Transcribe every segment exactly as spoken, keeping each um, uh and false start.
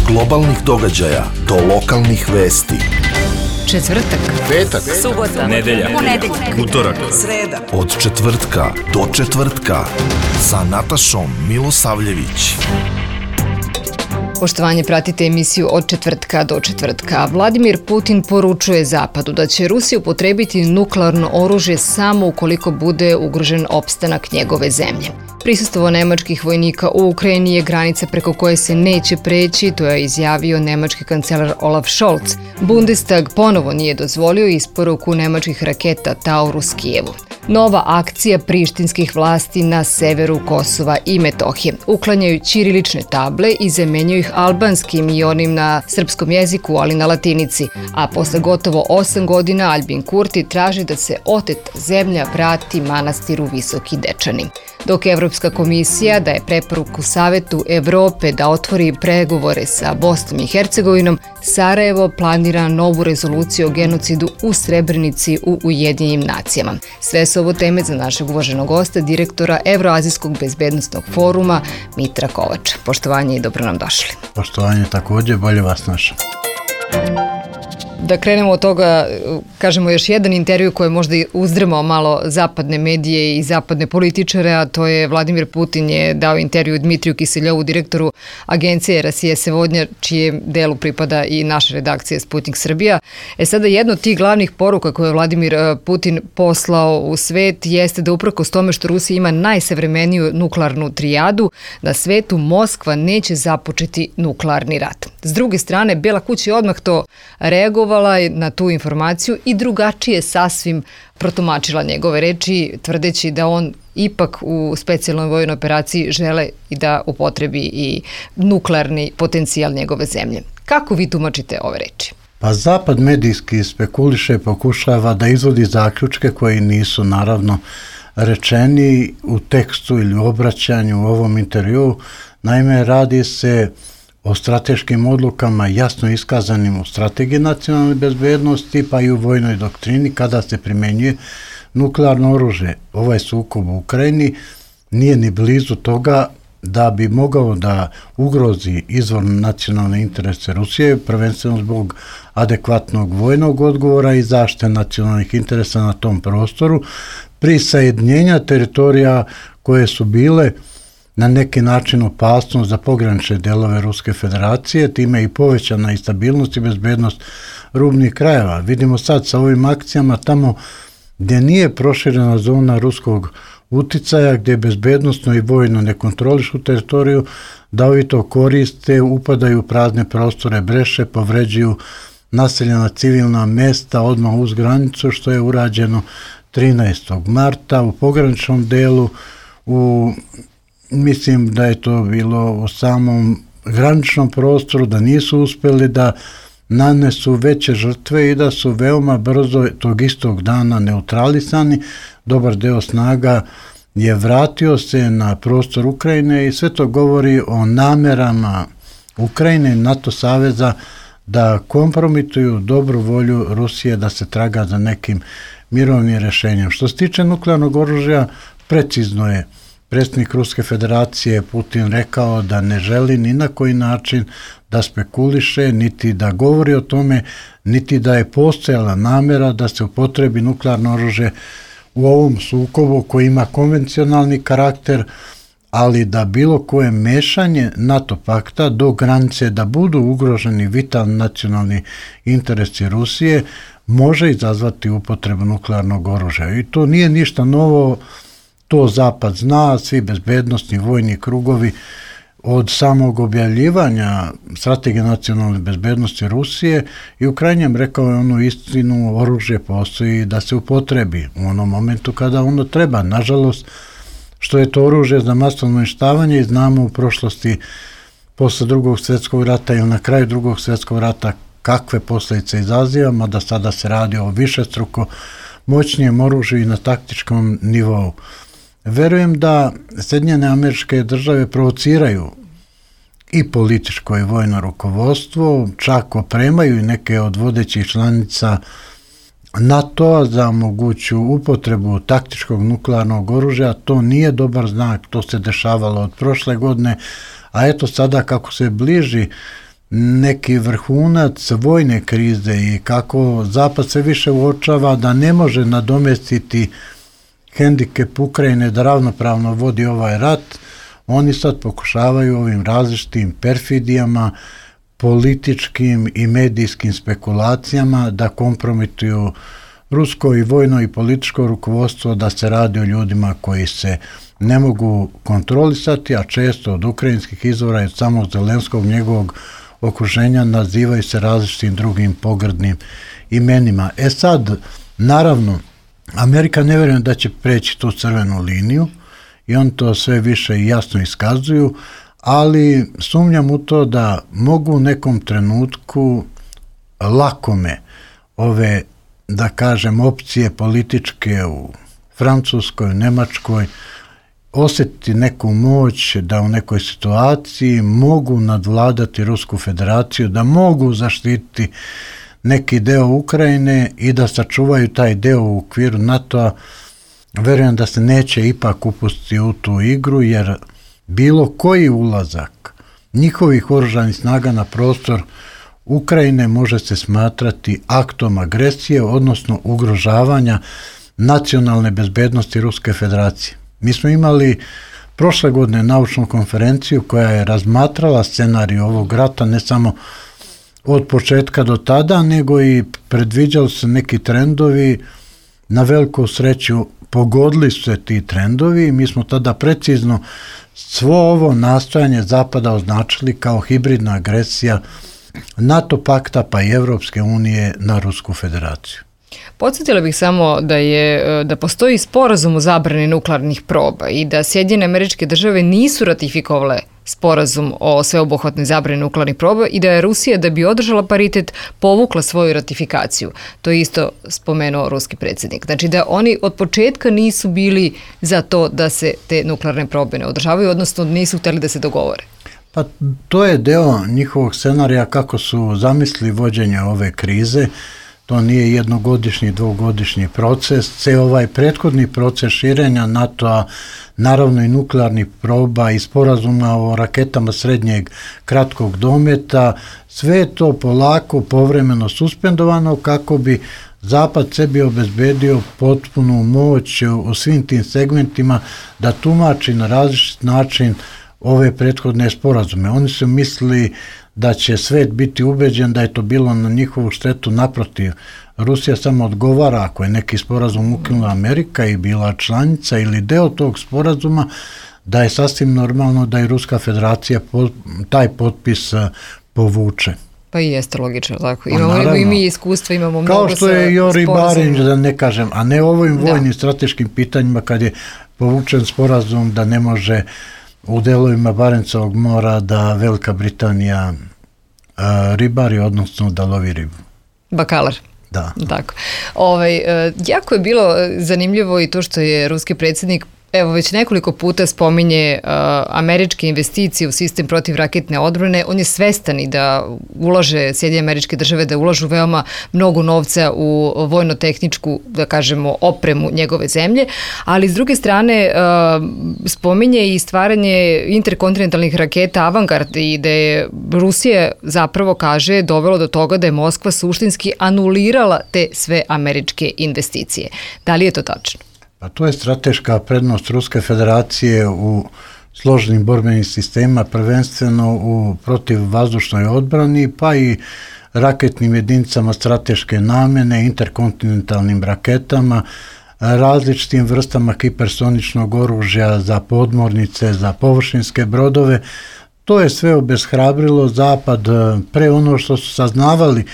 globalnih događaja do lokalnih vesti. Četvrtak, petak, subota, nedelja, ponedeljak, utorak, sreda. Od četvrtka do četvrtka sa Natašom Milosavljević. Poštovanje, pratite emisiju Od četvrtka do četvrtka. Vladimir Putin poručuje Zapadu da će Rusija upotrebiti nuklearno oružje samo ukoliko bude ugrožen opstanak njegove zemlje. Prisustvo nemačkih vojnika u Ukrajini je granica preko koje se neće preći, to je izjavio nemački kancelar Olaf Scholz. Bundestag ponovo nije dozvolio isporuku nemačkih raketa Taurus Kijevu. Nova akcija prištinskih vlasti na severu Kosova i Metohije. Uklanjaju ćirilične table i zamenjaju ih albanskim i onim na srpskom jeziku, ali na latinici. A posle gotovo osam godina Albin Kurti traži da se oteta zemlja vrati manastiru Visoki Dečani. Dok Evropska komisija daje preporuku Savetu Evrope da otvori pregovore sa Bosnom i Hercegovinom, Sarajevo planira novu rezoluciju o genocidu u Srebrenici u Ujedinjenim nacijama. Sve su ovo teme za našeg uvaženog gosta, direktora Evroazijskog bezbednostnog foruma Mitra Kovača. Poštovanje i dobro nam došli. Poštovanje također, bolje vas našao. Da krenemo od toga, kažemo još jedan intervju koji je možda uzdrmao malo zapadne medije i zapadne političare, a to je Vladimir Putin je dao intervju Dmitriju Kiseljovu, direktoru agencije Rasije Sevodnja, čijem delu pripada i naša redakcija Sputnik Srbija. E sada, jedna od tih glavnih poruka koje je Vladimir Putin poslao u svet jeste da uprkos tome što Rusija ima najsavremeniju nuklearnu trijadu, na svetu Moskva neće započeti nuklearni rat. S druge strane, Bela kuća je odmah to reagovala na tu informaciju i drugačije sasvim protumačila njegove reči, tvrdeći da on ipak u specijalnoj vojnoj operaciji žele i da upotrebi i nuklearni potencijal njegove zemlje. Kako vi tumačite ove reči? Pa Zapad medijski spekuliše, pokušava da izvodi zaključke koji nisu naravno rečeni u tekstu ili u obraćanju u ovom intervjuu. Naime, radi se o strateškim odlukama jasno iskazanim u strategiji nacionalne bezbednosti pa i u vojnoj doktrini kada se primjenjuje nuklearno oružje. Ovaj sukob u Ukrajini nije ni blizu toga da bi mogao da ugrozi izvorno nacionalne interese Rusije, prvenstveno zbog adekvatnog vojnog odgovora i zaštite nacionalnih interesa na tom prostoru, prisajednjenja teritorija koje su bile na neki način opasnost za pogranične delove Ruske federacije, time i povećana i stabilnost i bezbednost rubnih krajeva. Vidimo sad sa ovim akcijama tamo gdje nije proširena zona ruskog uticaja, gdje bezbednostno i vojno ne kontrolišu teritoriju, da ovi to koriste, upadaju u prazne prostore, breše, povređuju naseljena civilna mesta odmah uz granicu, što je urađeno trinaestog marta u pograničnom delu, u mislim da je to bilo u samom graničnom prostoru, da nisu uspjeli da nanesu veće žrtve i da su veoma brzo tog istog dana neutralisani. Dobar deo snaga je vratio se na prostor Ukrajine i sve to govori o namerama Ukrajine i NATO saveza da kompromituju dobru volju Rusije da se traga za nekim mirovnim rješenjem. Što se tiče nuklearnog oružja, precizno je predsjednik Ruske federacije Putin rekao da ne želi ni na koji način da spekuliše, niti da govori o tome, niti da je postojala namjera da se upotrebi nuklearno oružje u ovom sukobu koji ima konvencionalni karakter, ali da bilo koje mešanje NATO pakta do granice da budu ugroženi vitalni nacionalni interesi Rusije može izazvati upotrebu nuklearnog oružja. I to nije ništa novo. To Zapad zna, svi bezbednostni vojni krugovi od samog objavljivanja strategije nacionalne bezbednosti Rusije i u krajnjem rekao je onu istinu, oružje postoji da se upotrebi u onom momentu kada ono treba. Nažalost, što je to oružje za masovno uništavanje i znamo u prošlosti posle drugog svjetskog rata ili na kraju drugog svjetskog rata kakve posljedice izaziva, mada sada se radi o višestruko moćnijem oružju i na taktičkom nivou. Verujem da Sjedinjene Američke Države provociraju i političko i vojno rukovodstvo, čak opremaju i neke od vodećih članica NATO-a za moguću upotrebu taktičkog nuklearnog oružja. To nije dobar znak, to se dešavalo od prošle godine, a eto sada kako se bliži neki vrhunac vojne krize i kako Zapad sve više uočava da ne može nadomestiti hendikep Ukrajine da ravnopravno vodi ovaj rat, oni sad pokušavaju ovim različitim perfidijama, političkim i medijskim spekulacijama da kompromituju rusko i vojno i političko rukovodstvo, da se radi o ljudima koji se ne mogu kontrolisati, a često od ukrajinskih izvora i od samog Zelenskog njegovog okruženja nazivaju se različitim drugim pogrdnim imenima. E sad, naravno, Amerika ne vjerujem da će preći tu crvenu liniju i on to sve više i jasno iskazuju, ali sumnjam u to da mogu u nekom trenutku lakome ove, da kažem, opcije političke u Francuskoj, Njemačkoj osjetiti neku moć da u nekoj situaciji mogu nadvladati Rusku federaciju, da mogu zaštititi neki deo Ukrajine i da sačuvaju taj deo u okviru NATO-a. Verujem da se neće ipak upustiti u tu igru, jer bilo koji ulazak njihovih oružanih snaga na prostor Ukrajine može se smatrati aktom agresije, odnosno ugrožavanja nacionalne bezbednosti Ruske federacije. Mi smo imali prošle godine naučnu konferenciju koja je razmatrala scenarij ovog rata, ne samo od početka do tada, nego i predviđali se neki trendovi. Na veliku sreću pogodili su se ti trendovi i mi smo tada precizno svo ovo nastojanje Zapada označili kao hibridna agresija NATO pakta pa i Evropske unije na Rusku federaciju. Podsjetila bih samo da je da postoji sporazum o zabrani nuklearnih proba i da Sjedinjene Američke Države nisu ratifikovale sporazum o sveobuhvatnoj zabrani nuklearnih proba i da je Rusija, da bi održala paritet, povukla svoju ratifikaciju. To je isto spomenuo ruski predsjednik. Znači da oni od početka nisu bili za to da se te nuklearne probe ne održavaju, odnosno nisu htjeli da se dogovore. Pa to je deo njihovog scenarija kako su zamislili vođenje ove krize. To nije jednogodišnji, dvogodišnji proces. Ceo ovaj prethodni proces širenja NATO-a, naravno i nuklearnih proba i sporazuma o raketama srednjeg kratkog dometa, sve je to polako, povremeno suspendovano kako bi Zapad sebi obezbedio potpunu moć u svim tim segmentima da tumači na različit način ove prethodne sporazume. Oni su mislili da će svet biti ubeđen da je to bilo na njihovu štetu. Naprotiv, Rusija samo odgovara ako je neki sporazum ukinula Amerika i bila članica ili deo tog sporazuma, da je sasvim normalno da i Ruska federacija taj potpis povuče. Pa i jeste logično, tako. Imamo naravno, i mi iskustva, imamo mnogo kao što je Jori Barinj, da ne kažem, a ne ovim vojnim da. strateškim pitanjima kad je povučen sporazum da ne može u delovima Barencovog mora da Velika Britanija uh, ribari, odnosno da lovi ribu. Bakalar. Da. Tako. Ovaj, uh, jako je bilo zanimljivo i to što je ruski predsjednik evo već nekoliko puta spominje uh, američke investicije u sistem protivraketne odbrane. On je svestan i da ulaže Sjedinjene Američke Države, da ulažu veoma mnogo novca u vojno-tehničku, da kažemo, opremu njegove zemlje, ali s druge strane uh, spominje i stvaranje interkontinentalnih raketa Avangard i da je Rusija zapravo, kaže, dovelo do toga da je Moskva suštinski anulirala te sve američke investicije. Da li je to tačno? Pa to je strateška prednost Ruske federacije u složenim borbenim sistemima, prvenstveno u protivvazdušnoj odbrani, pa i raketnim jedinicama strateške namjene, interkontinentalnim raketama, različitim vrstama hipersoničnog oružja za podmornice, za površinske brodove. To je sve obeshrabrilo Zapad pre ono što su saznavali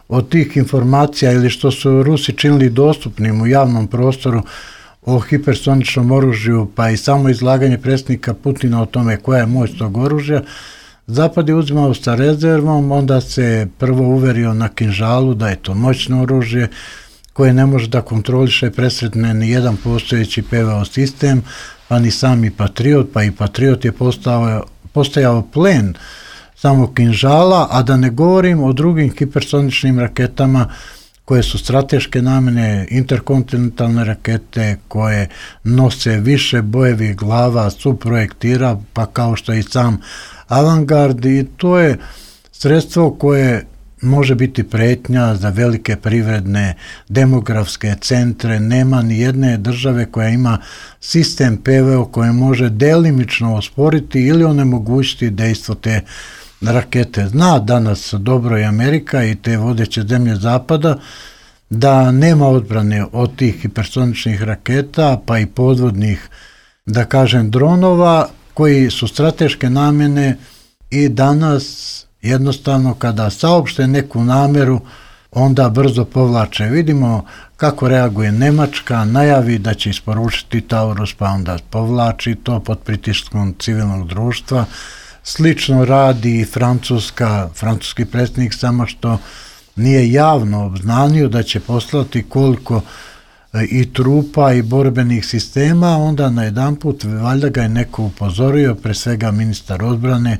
od tih informacija ili što su Rusi činili dostupnim u javnom prostoru o hipersoničnom oružju, pa i samo izlaganje predsjednika Putina o tome koja je moć tog oružja. Zapad je uzimao sa rezervom, onda se prvo uverio na Kinžalu da je to moćno oružje koje ne može da kontroliše presretne ni jedan postojeći P V O sistem, pa ni sami Patriot, pa i Patriot je postao, postajao plen samog Kinžala, a da ne govorim o drugim hipersoničnim raketama koje su strateške namjene, interkontinentalne rakete koje nose više bojevih glava, suprojektira, pa kao što i sam Avangard, i to je sredstvo koje može biti pretnja za velike privredne, demografske centre. Nema ni jedne države koja ima sistem P V O koje može delimično osporiti ili onemogućiti dejstvo te rakete. Zna danas dobro i Amerika i te vodeće zemlje zapada da nema odbrane od tih hipersoničnih raketa, pa i podvodnih, da kažem, dronova koji su strateške namjene i danas jednostavno kada saopšte neku nameru, onda brzo povlače. Vidimo kako reaguje Nemačka, najavi da će isporučiti Taurus, pa onda povlači to pod pritiskom civilnog društva. Slično radi i Francuska, francuski predsjednik, samo što nije javno obznanio da će poslati koliko i trupa i borbenih sistema, onda najedanput valjda ga je neko upozorio, pre svega ministar odbrane,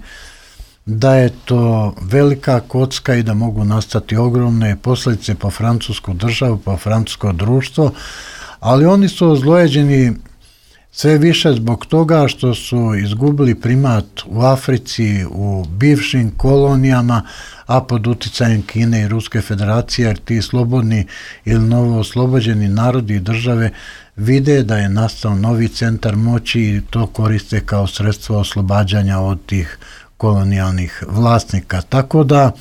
da je to velika kocka i da mogu nastati ogromne posljedice po francusku državu, po francusko društvo, ali oni su ozlojeđeni sve više zbog toga što su izgubili primat u Africi, u bivšim kolonijama, a pod uticajem Kine i Ruske federacije, jer ti slobodni ili novo oslobođeni narodi i države vide da je nastao novi centar moći i to koriste kao sredstvo oslobađanja od tih kolonijalnih vlasnika. Tako da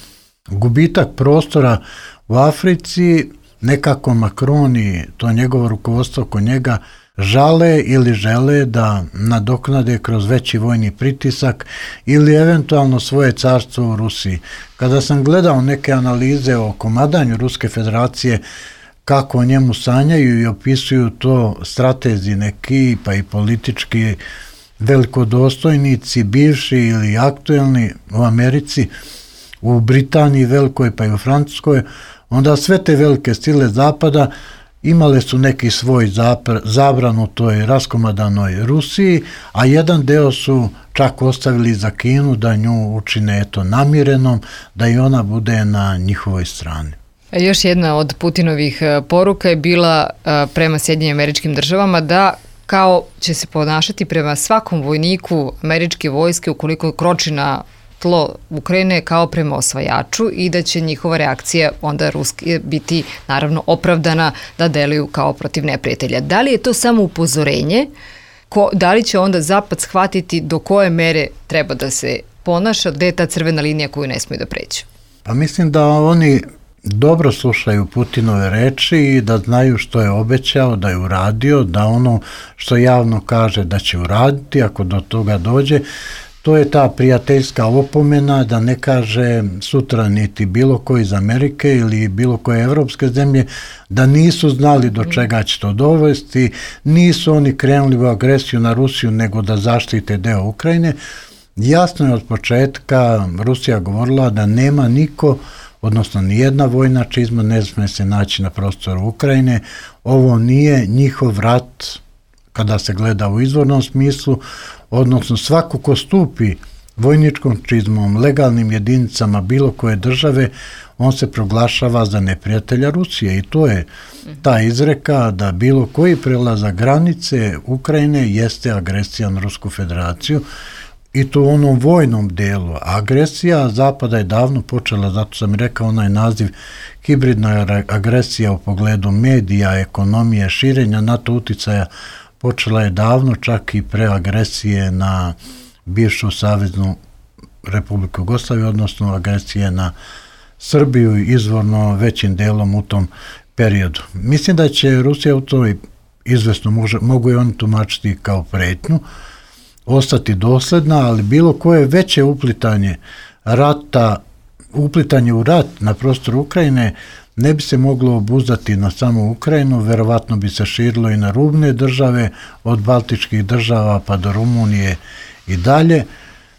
gubitak prostora u Africi nekako Macron i to njegovo rukovodstvo oko njega žale ili žele da nadoknade kroz veći vojni pritisak ili eventualno svoje carstvo u Rusiji. Kada sam gledao neke analize o komadanju Ruske federacije, kako o njemu sanjaju i opisuju to stratezi neki, pa i politički velikodostojnici, bivši ili aktuelni u Americi, u Britaniji velikoj, pa i u Francuskoj, onda sve te velike sile zapada imale su neki svoj zabran u toj raskomadanoj Rusiji, a jedan deo su čak ostavili za Kinu da nju učine eto namirenom, da i ona bude na njihovoj strani. Još jedna od Putinovih poruka je bila prema Sjedinjenim Američkim Državama da kao će se ponašati prema svakom vojniku američke vojske ukoliko kroči na tlo Ukrajine kao prema osvajaču i da će njihova reakcija onda ruski biti naravno opravdana da deluju kao protiv neprijatelja. Da li je to samo upozorenje? Ko, da li će onda Zapad shvatiti do koje mere treba da se ponaša, gde je ta crvena linija koju ne smiju da pređu? Pa mislim da oni dobro slušaju Putinove reči i da znaju što je obećao, da je uradio, da ono što javno kaže da će uraditi, ako do toga dođe, to je ta prijateljska opomena da ne kaže sutra niti bilo koji iz Amerike ili bilo koje evropske zemlje da nisu znali do čega će to dovesti, nisu oni krenuli u agresiju na Rusiju nego da zaštite deo Ukrajine. Jasno je od početka Rusija govorila da nema niko, odnosno nijedna vojna čizma ne smije se naći na prostoru Ukrajine. Ovo nije njihov rat kada se gleda u izvornom smislu, odnosno svako ko stupi vojničkom čizmom, legalnim jedinicama bilo koje države, on se proglašava za neprijatelja Rusije i to je ta izreka da bilo koji prelazak granice Ukrajine jeste agresija na Rusku federaciju i to u onom vojnom delu. Agresija Zapada je davno počela, zato sam i rekao onaj naziv hibridna agresija u pogledu medija, ekonomije, širenja NATO uticaja, počela je davno, čak i pre agresije na bivšu Saveznu Republiku Jugoslaviju, odnosno agresije na Srbiju izvorno većim delom u tom periodu. Mislim da će Rusija u toj izvesno, može, mogu i oni tumačiti kao pretnju, ostati dosledna, ali bilo koje veće uplitanje rata, uplitanje u rat na prostoru Ukrajine ne bi se moglo obuzdati na samu Ukrajinu, verovatno bi se širilo i na rubne države, od baltičkih država pa do Rumunije i dalje.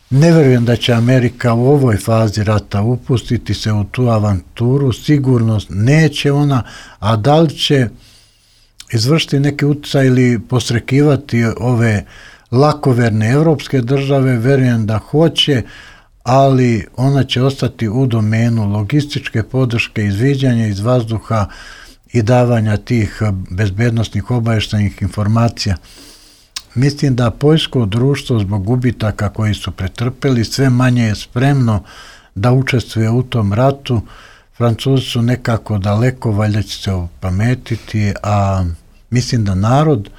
Ne verujem da će Amerika u ovoj fazi rata upustiti se u tu avanturu, sigurno neće ona, a da li će izvršiti neki utjecaj ili posrekivati ove lakoverne evropske države, verujem da hoće, ali ona će ostati u domenu logističke podrške, izviđanja iz vazduha i davanja tih bezbednosnih obavještajnih informacija. Mislim da poljsko društvo zbog gubitaka koji su pretrpeli sve manje je spremno da učestvuje u tom ratu. Francuzi su nekako daleko, valjda će se opametiti, a mislim da narod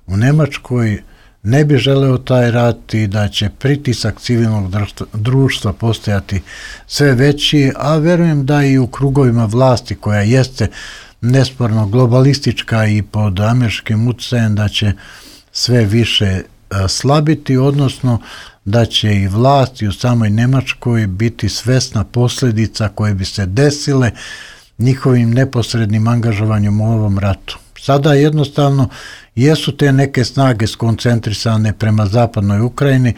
u Nemačkoj ne bi želeo taj rat i da će pritisak civilnog društva postajati sve veći, a verujem da i u krugovima vlasti koja jeste nesporno globalistička i pod američkim utjecajem da će sve više slabiti, odnosno da će i vlast i u samoj Nemačkoj biti svesna posljedica koje bi se desile njihovim neposrednim angažovanjem u ovom ratu. Sada jednostavno jesu te neke snage skoncentrisane prema zapadnoj Ukrajini,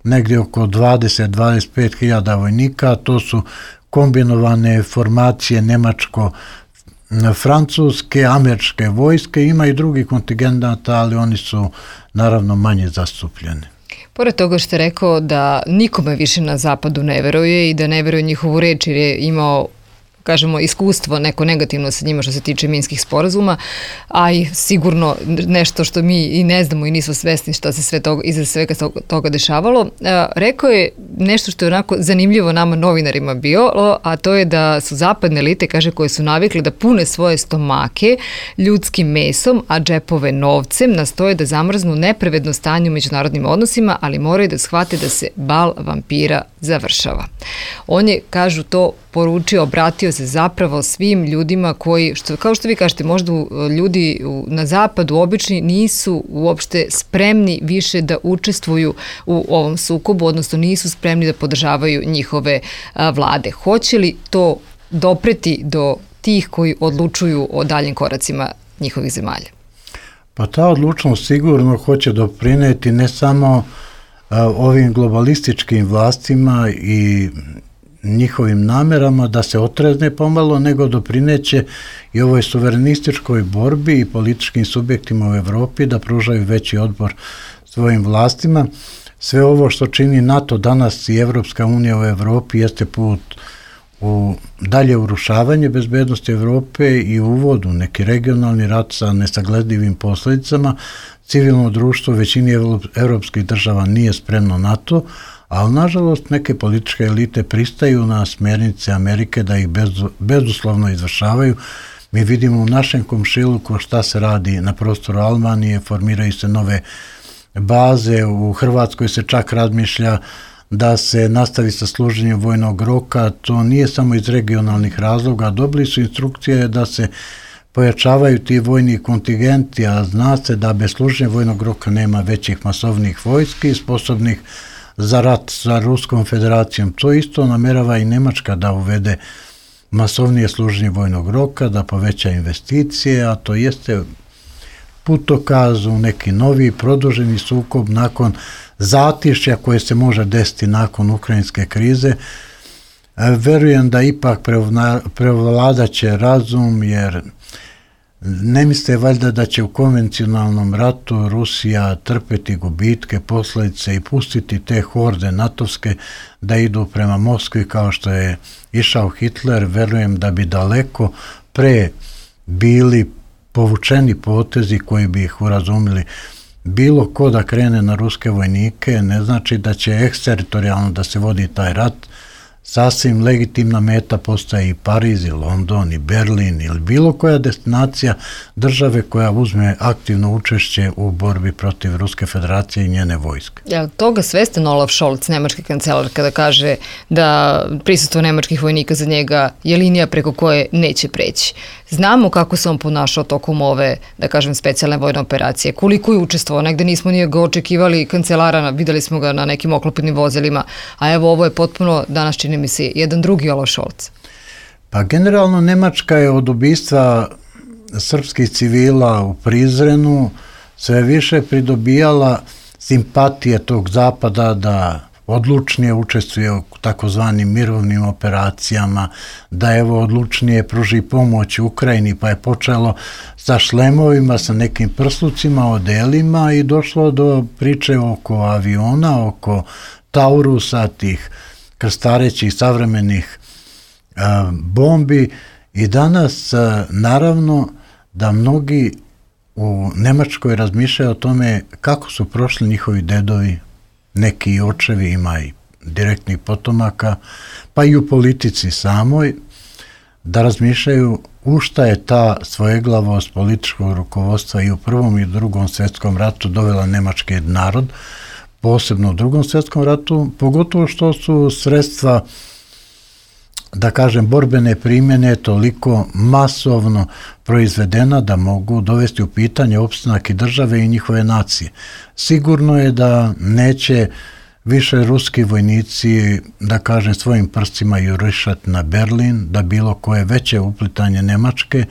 negdje oko dvadeset do dvadeset pet hiljada vojnika, to su kombinovane formacije nemačko-francuske, američke vojske, ima i drugih kontingenata, ali oni su naravno manje zastupljeni. Pored toga što je rekao da nikome više na zapadu ne veruje i da ne veruje njihovu reč jer je imao, kažemo, iskustvo neko negativno sa njima što se tiče minskih sporazuma, a i sigurno nešto što mi i ne znamo i nismo svesni šta se sve toga, iza svega toga dešavalo. Rekao je nešto što je onako zanimljivo nama novinarima bilo, a to je da su zapadne elite, kaže, koje su navikli da pune svoje stomake ljudskim mesom, a džepove novcem, nastoje da zamrznu nepravedno stanje u međunarodnim odnosima, ali moraju da shvate da se bal vampira završava. On je, kažu, to poručio, obratio se zapravo svim ljudima koji, što, kao što vi kažete, možda ljudi na zapadu obični nisu uopšte spremni više da učestvuju u ovom sukobu, odnosno nisu spremni da podržavaju njihove a, vlade. Hoće li to dopreti do tih koji odlučuju o daljim koracima njihovih zemalja? Pa ta odlučnost sigurno hoće doprineti ne samo a, ovim globalističkim vlastima i njihovim namerama da se otrezne pomalo, nego doprineće i ovoj suverenističkoj borbi i političkim subjektima u Evropi da pružaju veći otpor svojim vlastima. Sve ovo što čini NATO danas i Evropska unija u Evropi jeste put u dalje urušavanje bezbednosti Evrope i uvod u neki regionalni rat sa nesagledivim posljedicama. Civilno društvo većini evropskih država nije spremno na to, ali nažalost neke političke elite pristaju na smjernice Amerike da ih bez, bezuslovno izvršavaju. Mi vidimo u našem komšiluku šta se radi na prostoru Albanije, formiraju se nove baze, u Hrvatskoj se čak razmišlja da se nastavi sa služenjem vojnog roka, to nije samo iz regionalnih razloga, dobili su instrukcije da se pojačavaju ti vojni kontingenti, a zna se da bez služenja vojnog roka nema većih masovnih vojski sposobnih za rat sa Ruskom federacijom. To isto namerava i Nemačka da uvede masovnije služenje vojnog roka, da poveća investicije, a to jeste putokaz u neki novi produženi sukob nakon zatišja koje se može desiti nakon ukrajinske krize. Verujem da ipak prevladaće razum, jer ne misle valjda da će u konvencionalnom ratu Rusija trpeti gubitke, posljedice i pustiti te horde natovske da idu prema Moskvi kao što je išao Hitler. Verujem da bi daleko pre bili povučeni potezi koji bi ih urazumili. Bilo ko da krene na ruske vojnike ne znači da će eksteritorijalno da se vodi taj rat. Sasvim legitimna meta postaje i Pariz, i London, i Berlin ili bilo koja destinacija države koja uzme aktivno učešće u borbi protiv Ruske federacije i njene vojske. Je li toga svestan Olaf Scholz, nemački kancelar, kada kaže da prisustvo nemačkih vojnika za njega je linija preko koje neće preći? Znamo kako se on ponašao tokom ove, da kažem, specijalne vojne operacije. Koliko je učestvovao? Negde nismo nije ga očekivali kancelara, videli smo ga na nekim oklopnim vozilima, a evo ovo je potpuno, danas čini mi se, jedan drugi Olaf Scholz. Pa generalno Nemačka je od ubistva srpskih civila u Prizrenu sve više pridobijala simpatije tog zapada da odlučnije učestvuje u takozvanim mirovnim operacijama, da evo odlučnije pruži pomoć Ukrajini, pa je počelo sa šlemovima, sa nekim prslucima, odelima i došlo do priče oko aviona, oko Taurusa, tih krstarećih savremenih a, bombi i danas a, naravno da mnogi u Nemačkoj razmišljaju o tome kako su prošli njihovi dedovi, neki očevi, ima i direktnih potomaka, pa i u politici samoj, da razmišljaju u šta je ta svojeglavost političkog rukovodstva i u Prvom i Drugom svjetskom ratu dovela nemački narod, posebno u Drugom svjetskom ratu, pogotovo što su sredstva, da kažem, borbene primjene toliko masovno proizvedena da mogu dovesti u pitanje opstanak i države i njihove nacije. Sigurno je da neće više ruski vojnici, da kažem, svojim prstima jurišati na Berlin, da bilo koje veće uplitanje Nemačke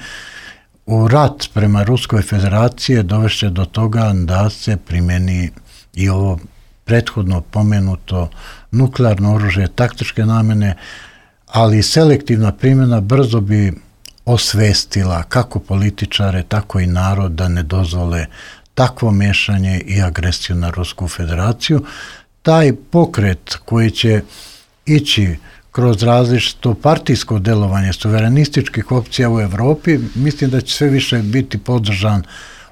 u rat prema Ruskoj federaciji dovešće do toga da se primjeni i ovo prethodno pomenuto nuklearno oružje taktičke namjene, ali selektivna primjena brzo bi osvestila kako političare, tako i narod da ne dozvole takvo miješanje i agresiju na Rusku federaciju. Taj pokret koji će ići kroz različito partijsko delovanje suverenističkih opcija u Europi, mislim da će sve više biti podržan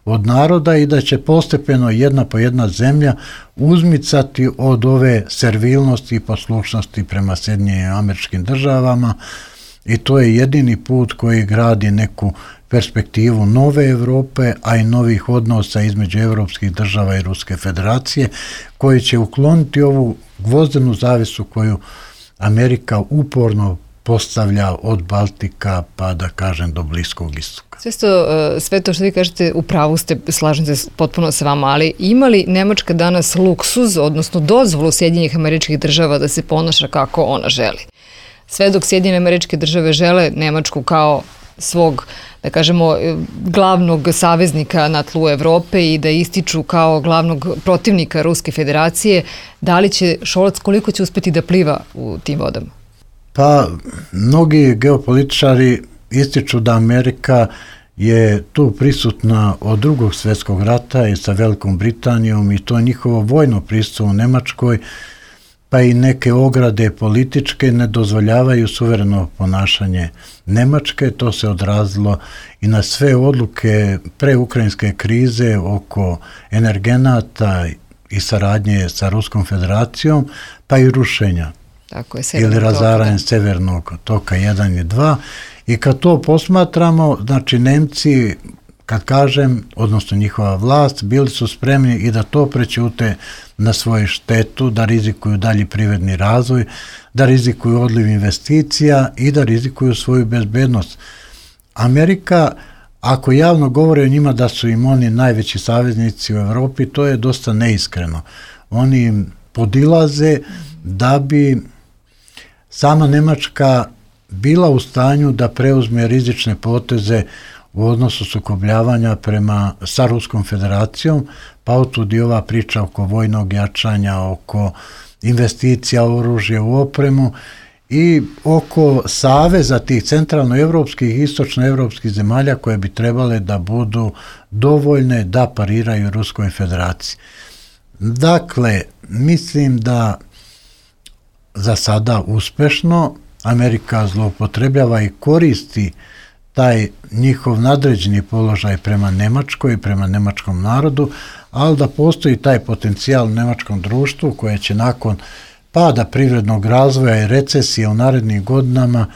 od naroda i da će postepeno jedna po jedna zemlja uzmicati od ove servilnosti i poslušnosti prema Sjedinjenim Američkim Državama, i to je jedini put koji gradi neku perspektivu nove Europe, a i novih odnosa između evropskih država i Ruske federacije, koji će ukloniti ovu gvozdenu zavisu koju Amerika uporno postavlja od Baltika pa da kažem do Bliskog istoka. Sve to, sve to što vi kažete, u pravu ste, slažem se potpuno sa vama, ali ima li Nemačka danas luksuz, odnosno dozvolu Sjedinjenih Američkih Država da se ponaša kako ona želi? Sve dok Sjedinjene Američke Države žele Nemačku kao svog, da kažemo, glavnog saveznika na tlu Evrope i da ističu kao glavnog protivnika Ruske federacije, da li će Scholz, koliko će uspjeti da pliva u tim vodama? Pa, mnogi geopolitičari ističu da Amerika je tu prisutna od Drugog svjetskog rata i sa Velikom Britanijom, i to njihovo vojno prisustvo u Nemačkoj, pa i neke ograde političke ne dozvoljavaju suvereno ponašanje Nemačke. To se odrazilo i na sve odluke preukrajinske krize oko energenata i saradnje sa Ruskom federacijom, pa i rušenja Tako je, ili razaranje Severnog toka jedan i dva. I kad to posmatramo, znači Nemci, kad kažem, odnosno njihova vlast, bili su spremni i da to prećute na svoju štetu, da rizikuju dalji privredni razvoj, da rizikuju odliv investicija i da rizikuju svoju bezbednost. Amerika, ako javno govore o njima da su im oni najveći saveznici u Europi, to je dosta neiskreno. Oni im podilaze da bi sama Nemačka bila u stanju da preuzme rizične poteze u odnosu sukobljavanja prema sa Ruskom federacijom, pa otud i ova priča oko vojnog jačanja, oko investicija u oružje, u opremu i oko saveza tih centralnoevropskih i istočnoevropskih zemalja koje bi trebale da budu dovoljne da pariraju Ruskoj federaciji. Dakle, mislim da za sada uspešno Amerika zloupotrebljava i koristi taj njihov nadređeni položaj prema Nemačkoj i prema nemačkom narodu, ali da postoji taj potencijal u nemačkom društvu koje će nakon pada privrednog razvoja i recesije u narednim godinama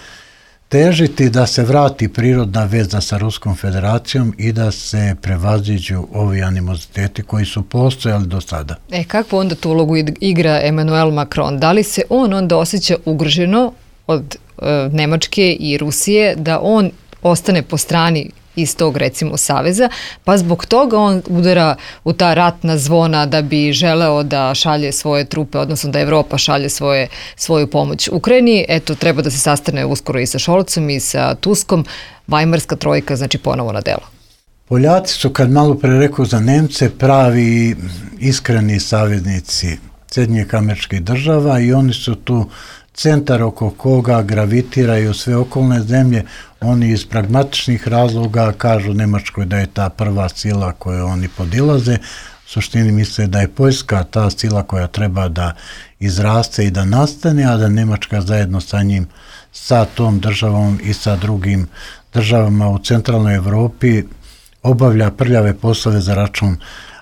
težiti da se vrati prirodna veza sa Ruskom federacijom i da se prevaziđu ovi animoziteti koji su postojali do sada. E, kakvu onda tu ulogu igra Emmanuel Macron? Da li se on onda osjeća ugroženo od e, Nemačke i Rusije, da on ostane po strani iz tog, recimo, saveza, pa zbog toga on udara u ta ratna zvona da bi želeo da šalje svoje trupe, odnosno da Evropa šalje svoje, svoju pomoć Ukrajini. Eto, treba da se sastane uskoro i sa Scholzom i sa Tuskom. Vajmarska trojka, znači, ponovo na delo. Poljaci su, kad malo pre rekao za Nemce, pravi iskreni saveznici Sjedinjenih Američkih Država i oni su tu centar oko koga gravitiraju sve okolne zemlje. Oni iz pragmatičnih razloga kažu Nemačkoj da je ta prva sila koju oni podilaze. U suštini misle da je Poljska ta sila koja treba da izraste i da nastane, a da Nemačka zajedno sa njim, sa tom državom i sa drugim državama u centralnoj Evropi obavlja prljave poslove za račun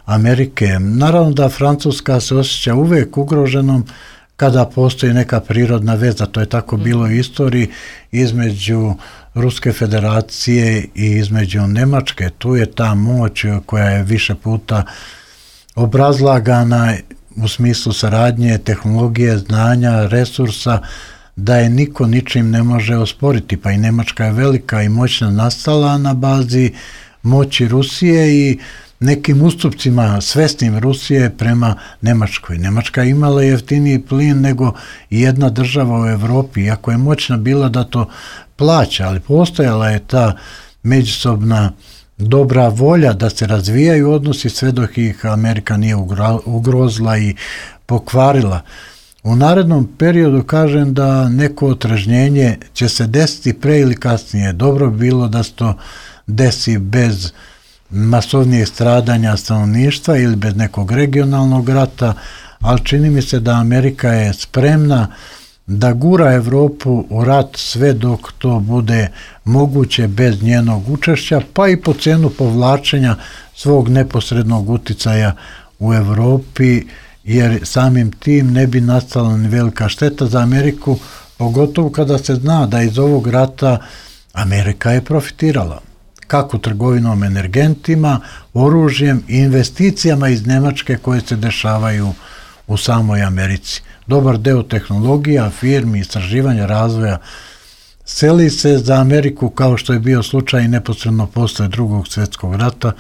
Amerike. Naravno da Francuska se osjeća uvek ugroženom kada postoji neka prirodna veza, to je tako bilo u istoriji, između Ruske federacije i između Nemačke. Tu je ta moć koja je više puta obrazlagana u smislu saradnje, tehnologije, znanja, resursa, da je niko ničim ne može osporiti. Pa i Nemačka je velika i moćna nastala na bazi moći Rusije i nekim ustupcima svesnim Rusije prema Nemačkoj. Nemačka je imala jeftiniji plin nego jedna država u Evropi, iako je moćna bila da to plaća, ali postojala je ta međusobna dobra volja da se razvijaju odnosi sve dok ih Amerika nije ugrozila i pokvarila. U narednom periodu kažem da neko otrežnjenje će se desiti pre ili kasnije. Dobro bi bilo da se to desi bez masovnijeg stradanja stanovništva ili bez nekog regionalnog rata, ali čini mi se da Amerika je spremna da gura Evropu u rat sve dok to bude moguće bez njenog učešća, pa i po cenu povlačenja svog neposrednog uticaja u Evropi, jer samim tim ne bi nastala ni velika šteta za Ameriku, pogotovo kada se zna da iz ovog rata Amerika je profitirala. Kako trgovinom energentima, oružjem i investicijama iz Nemačke koje se dešavaju u samoj Americi. Dobar deo tehnologija, firmi, istraživanja, razvoja seli se za Ameriku kao što je bio slučaj neposredno posle drugog svjetskog rata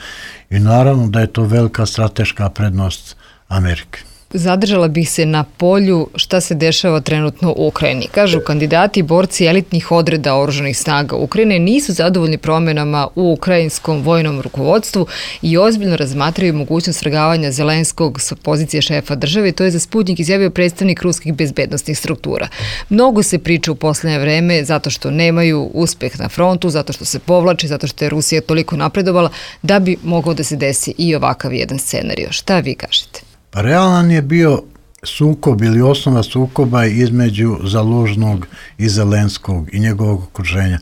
i naravno da je to velika strateška prednost Amerike. Zadržala bih se na polju šta se dešava trenutno u Ukrajini. Kažu kandidati i borci elitnih odreda oružanih snaga Ukrajine nisu zadovoljni promjenama u ukrajinskom vojnom rukovodstvu i ozbiljno razmatraju mogućnost svrgavanja Zelenskog s pozicije šefa države. To je za Sputnik izjavio predstavnik ruskih bezbednostnih struktura. Mnogo se priča u posljednje vreme zato što nemaju uspeh na frontu, zato što se povlače, zato što je Rusija toliko napredovala da bi mogao da se desi i ovakav jedan scenario. Šta vi kažete? Pa realan je bio sukob ili osnova sukoba između Zalužnog i Zelenskog i njegovog okruženja.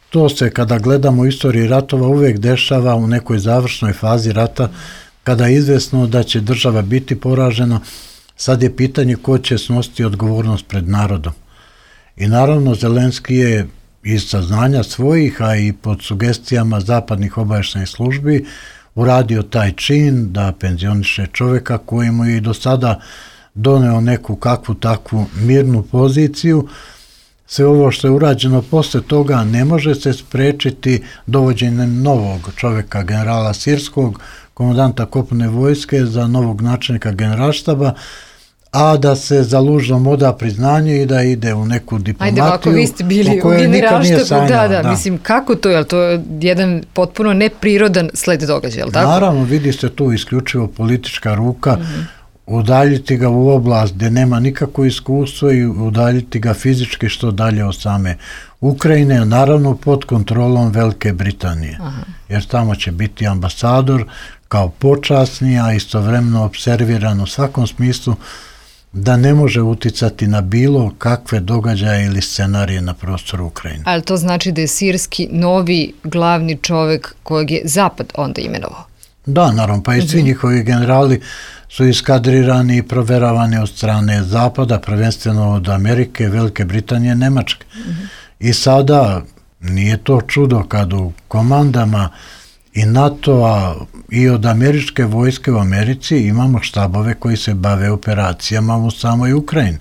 To se kada gledamo u istoriji ratova uvijek dešava u nekoj završnoj fazi rata kada je izvesno da će država biti poražena. Sad je pitanje ko će snositi odgovornost pred narodom. I naravno Zelenski je iz saznanja svojih, a i pod sugestijama zapadnih obavještajnih službi uradio taj čin da penzioniše čovjeka koji mu je i do sada doneo neku kakvu takvu mirnu poziciju. Sve ovo što je urađeno posle toga ne može se sprečiti dovođenjem novog čovjeka, generala Sirskog, komandanta kopnene vojske, za novog načelnika generalštaba, a da se Zalužnom oda priznanje i da ide u neku diplomatiju. Ajde, ako vi ste bili u generalštabu, da, da, da, mislim, kako to, je li to jedan potpuno neprirodan sled događaja, je li tako? Naravno, vidi se tu isključivo politička ruka, mm-hmm. udaljiti ga u oblast gdje nema nikakvo iskustvo i udaljiti ga fizički što dalje od same Ukrajine, naravno pod kontrolom Velike Britanije, Aha. jer tamo će biti ambasador kao počasni, a istovremeno observiran u svakom smislu da ne može uticati na bilo kakve događaje ili scenarije na prostoru Ukrajine. Ali to znači da je Sirski novi glavni čovjek kojeg je Zapad onda imenovao? Da, naravno, pa i svi mm-hmm. njihovi generali su iskadrirani i proveravani od strane Zapada, prvenstveno od Amerike, Velike Britanije, Nemačke. Mm-hmm. I sada nije to čudo kad u komandama i NATO-a i od američke vojske u Americi imamo štabove koji se bave operacijama u samoj Ukrajini.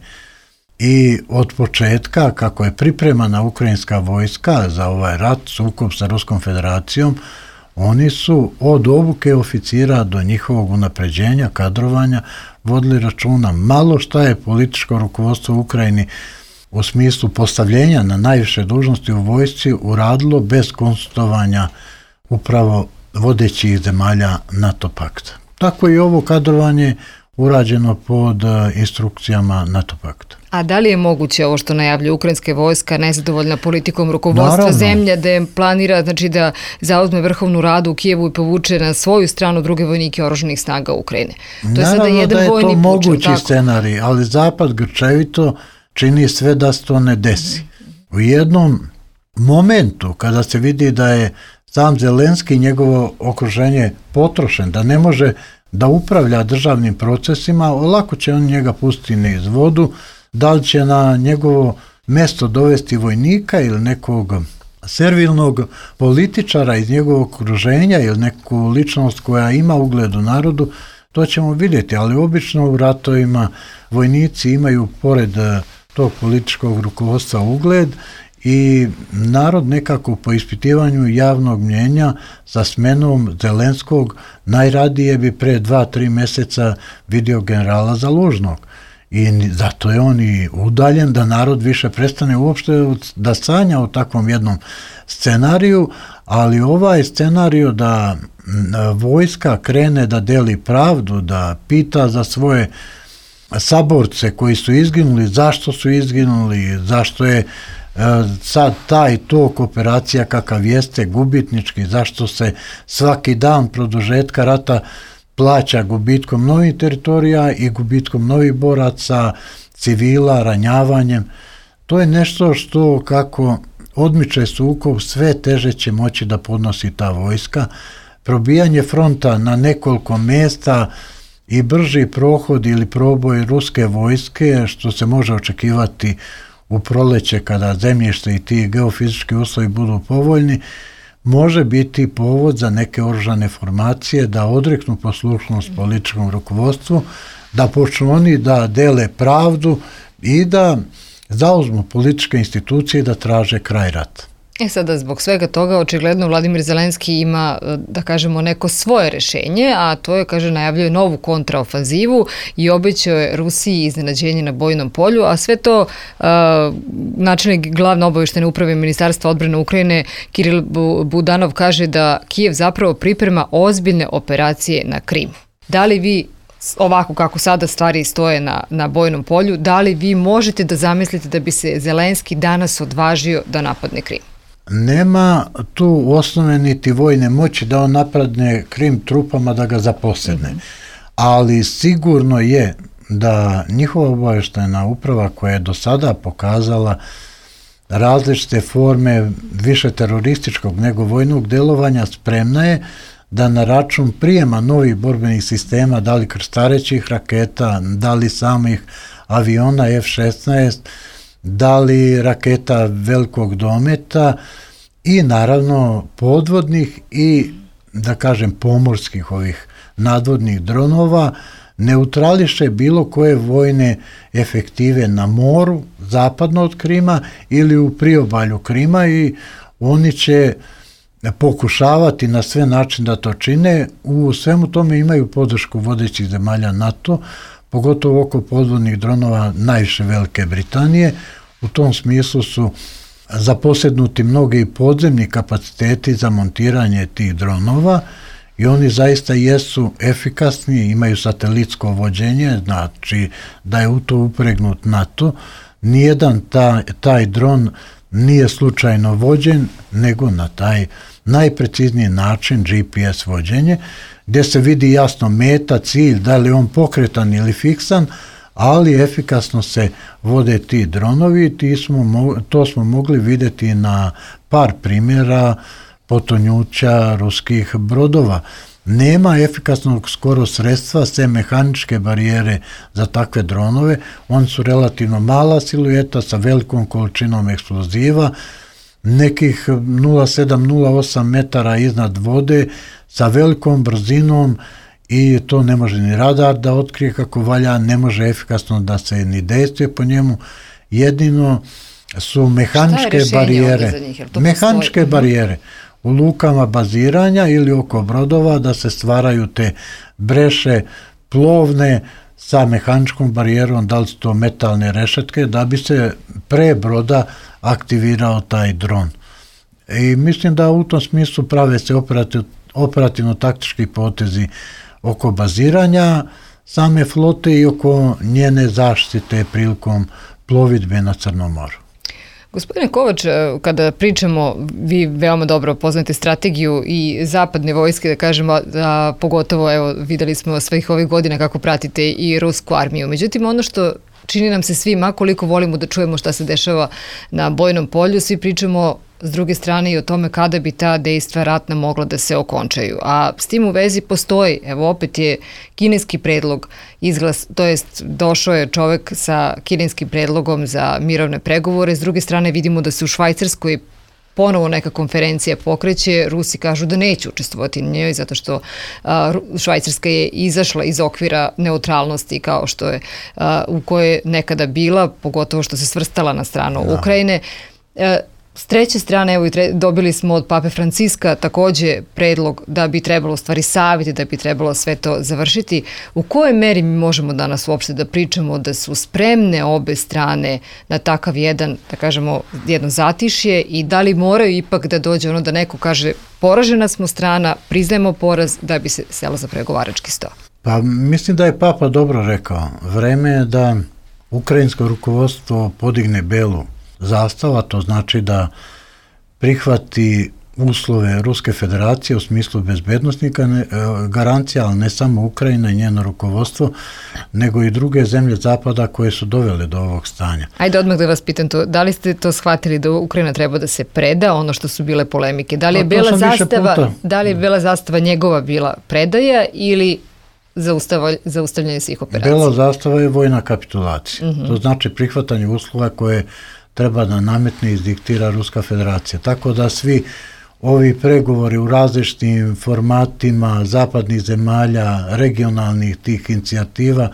I od početka, kako je pripremana ukrajinska vojska za ovaj rat, sukob sa Ruskom federacijom, oni su od obuke oficira do njihovog unapređenja, kadrovanja, vodili računa. Malo šta je političko rukovodstvo u Ukrajini u smislu postavljenja na najviše dužnosti u vojsci uradilo bez konsultovanja upravo vodećih zemalja NATO pakta. Tako i ovo kadrovanje urađeno pod instrukcijama NATO pakta. A da li je moguće ovo što najavlja ukrajinska vojska, nezadovoljna politikom rukovodstva Naravno. zemlje, da je planira znači, da zauzme vrhovnu radu u Kijevu i povuče na svoju stranu druge vojnike oružanih snaga Ukrajine? To je Naravno sada jedan da je vojni to puč, mogući tako? scenarij, ali Zapad grčevito čini sve da se to ne desi. U jednom momentu kada se vidi da je sam Zelenski i njegovo okruženje potrošen, da ne može da upravlja državnim procesima, lako će on njega pustiti niz vodu, Da li će na njegovo mesto dovesti vojnika ili nekog servilnog političara iz njegovog okruženja ili neku ličnost koja ima ugled u narodu, to ćemo vidjeti, ali obično u ratovima vojnici imaju pored tog političkog rukovodstva ugled i narod nekako po ispitivanju javnog mnjenja sa smenom Zelenskog najradije bi pre dva, tri mjeseca vidio generala Zalužnog. I zato je on i udaljen da narod više prestane uopšte da sanja o takvom jednom scenariju, ali ovaj scenariju da vojska krene da deli pravdu, da pita za svoje saborce koji su izginuli, zašto su izginuli, zašto je sad taj tok operacija kakav jeste gubitnički, zašto se svaki dan produžetka rata plaća gubitkom novih teritorija i gubitkom novih boraca, civila, ranjavanjem. To je nešto što kako odmiče sukob, sve teže će moći da podnosi ta vojska. Probijanje fronta na nekoliko mjesta i brži prohod ili proboj ruske vojske, što se može očekivati u proleće kada zemljište i ti geofizički uslovi budu povoljni, može biti povod za neke oružane formacije da odreknu poslušnost političkom rukovodstvu, da počnu oni da dele pravdu i da zauzmu političke institucije i da traže kraj rata. E sada, zbog svega toga, očigledno Vladimir Zelenski ima, da kažemo, neko svoje rešenje, a to je, kaže, najavljuje novu kontraofanzivu i obećao je Rusiji iznenađenje na bojnom polju, a sve to uh, načelnik glavne obavještajne uprave Ministarstva odbrane Ukrajine Kiril Budanov kaže da Kijev zapravo priprema ozbiljne operacije na Krimu. Da li vi, ovako kako sada stvari stoje na, na bojnom polju, da li vi možete da zamislite da bi se Zelenski danas odvažio da napadne Krim? Nema tu osnove niti vojne moći da on napadne Krim trupama da ga zaposedne. Mm-hmm. Ali sigurno je da njihova obavještajna uprava koja je do sada pokazala različite forme više terorističkog nego vojnog delovanja spremna je da na račun prijema novih borbenih sistema, da li krstarećih raketa, da li samih aviona F šesnaest, da li raketa velikog dometa i naravno podvodnih i, da kažem, pomorskih ovih nadvodnih dronova, neutrališe bilo koje vojne efektive na moru, zapadno od Krima ili u priobalju Krima i oni će pokušavati na sve način da to čine. U svemu tome imaju podršku vodećih zemalja NATO, pogotovo oko podvodnih dronova najviše Velike Britanije. U tom smislu su zaposednuti mnogi podzemni kapaciteti za montiranje tih dronova i oni zaista jesu efikasni, imaju satelitsko vođenje, znači da je u to upregnut NATO. Nijedan taj, taj dron nije slučajno vođen, nego na taj najprecizniji način G P S vođenje, gdje se vidi jasno meta, cilj, da li on pokretan ili fiksan, ali efikasno se vode ti dronovi. Ti smo, to smo mogli vidjeti na par primjera potonjuća ruskih brodova. Nema efikasnog skoro sredstva, sve mehaničke barijere za takve dronove. Oni su relativno mala silueta sa velikom količinom eksploziva, nekih nula sedam nula osam metara iznad vode, sa velikom brzinom i to ne može ni radar da otkrije kako valja, ne može efikasno da se ni dejstvuje po njemu. Jedino su mehaničke barijere. Mehaničke postoji? barijere u lukama baziranja ili oko brodova da se stvaraju te breše plovne sa mehaničkom barijerom, da li su to metalne rešetke, da bi se pre broda aktivirao taj dron. I mislim da u tom smislu prave se operativ, operativno-taktički potezi oko baziranja same flote i oko njene zaštite prilikom plovidbe na Crnom moru. Gospodine Kovač, kada pričamo, vi veoma dobro poznate strategiju i zapadne vojske, da kažemo, a pogotovo, evo, videli smo svih ovih godina kako pratite i rusku armiju. Međutim, ono što čini nam se svima, koliko volimo da čujemo šta se dešava na bojnom polju, svi pričamo s druge strane i o tome kada bi ta dejstva ratna mogla da se okončaju. A s tim u vezi postoji, evo opet je kineski predlog izglas, to jest došao je čovek sa kineskim predlogom za mirovne pregovore, s druge strane vidimo da se u Švajcarskoj ponovo neka konferencija pokreće, Rusi kažu da neće učestvovati na njoj zato što a, Švajcarska je izašla iz okvira neutralnosti kao što je a, u kojoj je nekada bila, pogotovo što se svrstala na stranu da. Ukrajine. A, S treće strane, evo, dobili smo od Pape Franciska takođe predlog da bi trebalo stvari savjeti, da bi trebalo sve to završiti. U kojoj meri mi možemo danas uopšte da pričamo da su spremne obe strane na takav jedan, da kažemo, jedno zatišje i da li moraju ipak da dođe ono da neko kaže poražena smo strana, priznajemo poraz da bi se selo za pregovarački sto? Pa mislim da je Papa dobro rekao. Vreme je da ukrajinsko rukovodstvo podigne belu zastava, to znači da prihvati uslove Ruske federacije u smislu bezbednostnih garancija, ali ne samo Ukrajina i njeno rukovodstvo, nego i druge zemlje zapada koje su dovele do ovog stanja. Ajde odmah da vas pitam to, da li ste to shvatili da Ukrajina treba da se preda, ono što su bile polemike? Da li je bela zastava, da li je bela zastava njegova bila predaja ili zaustavljanje svih operacija? Bela zastava je vojna kapitulacija. Uh-huh. To znači prihvatanje uslova koje treba da nametne i izdiktira Ruska federacija. Tako da svi ovi pregovori u različitim formatima zapadnih zemalja, regionalnih tih inicijativa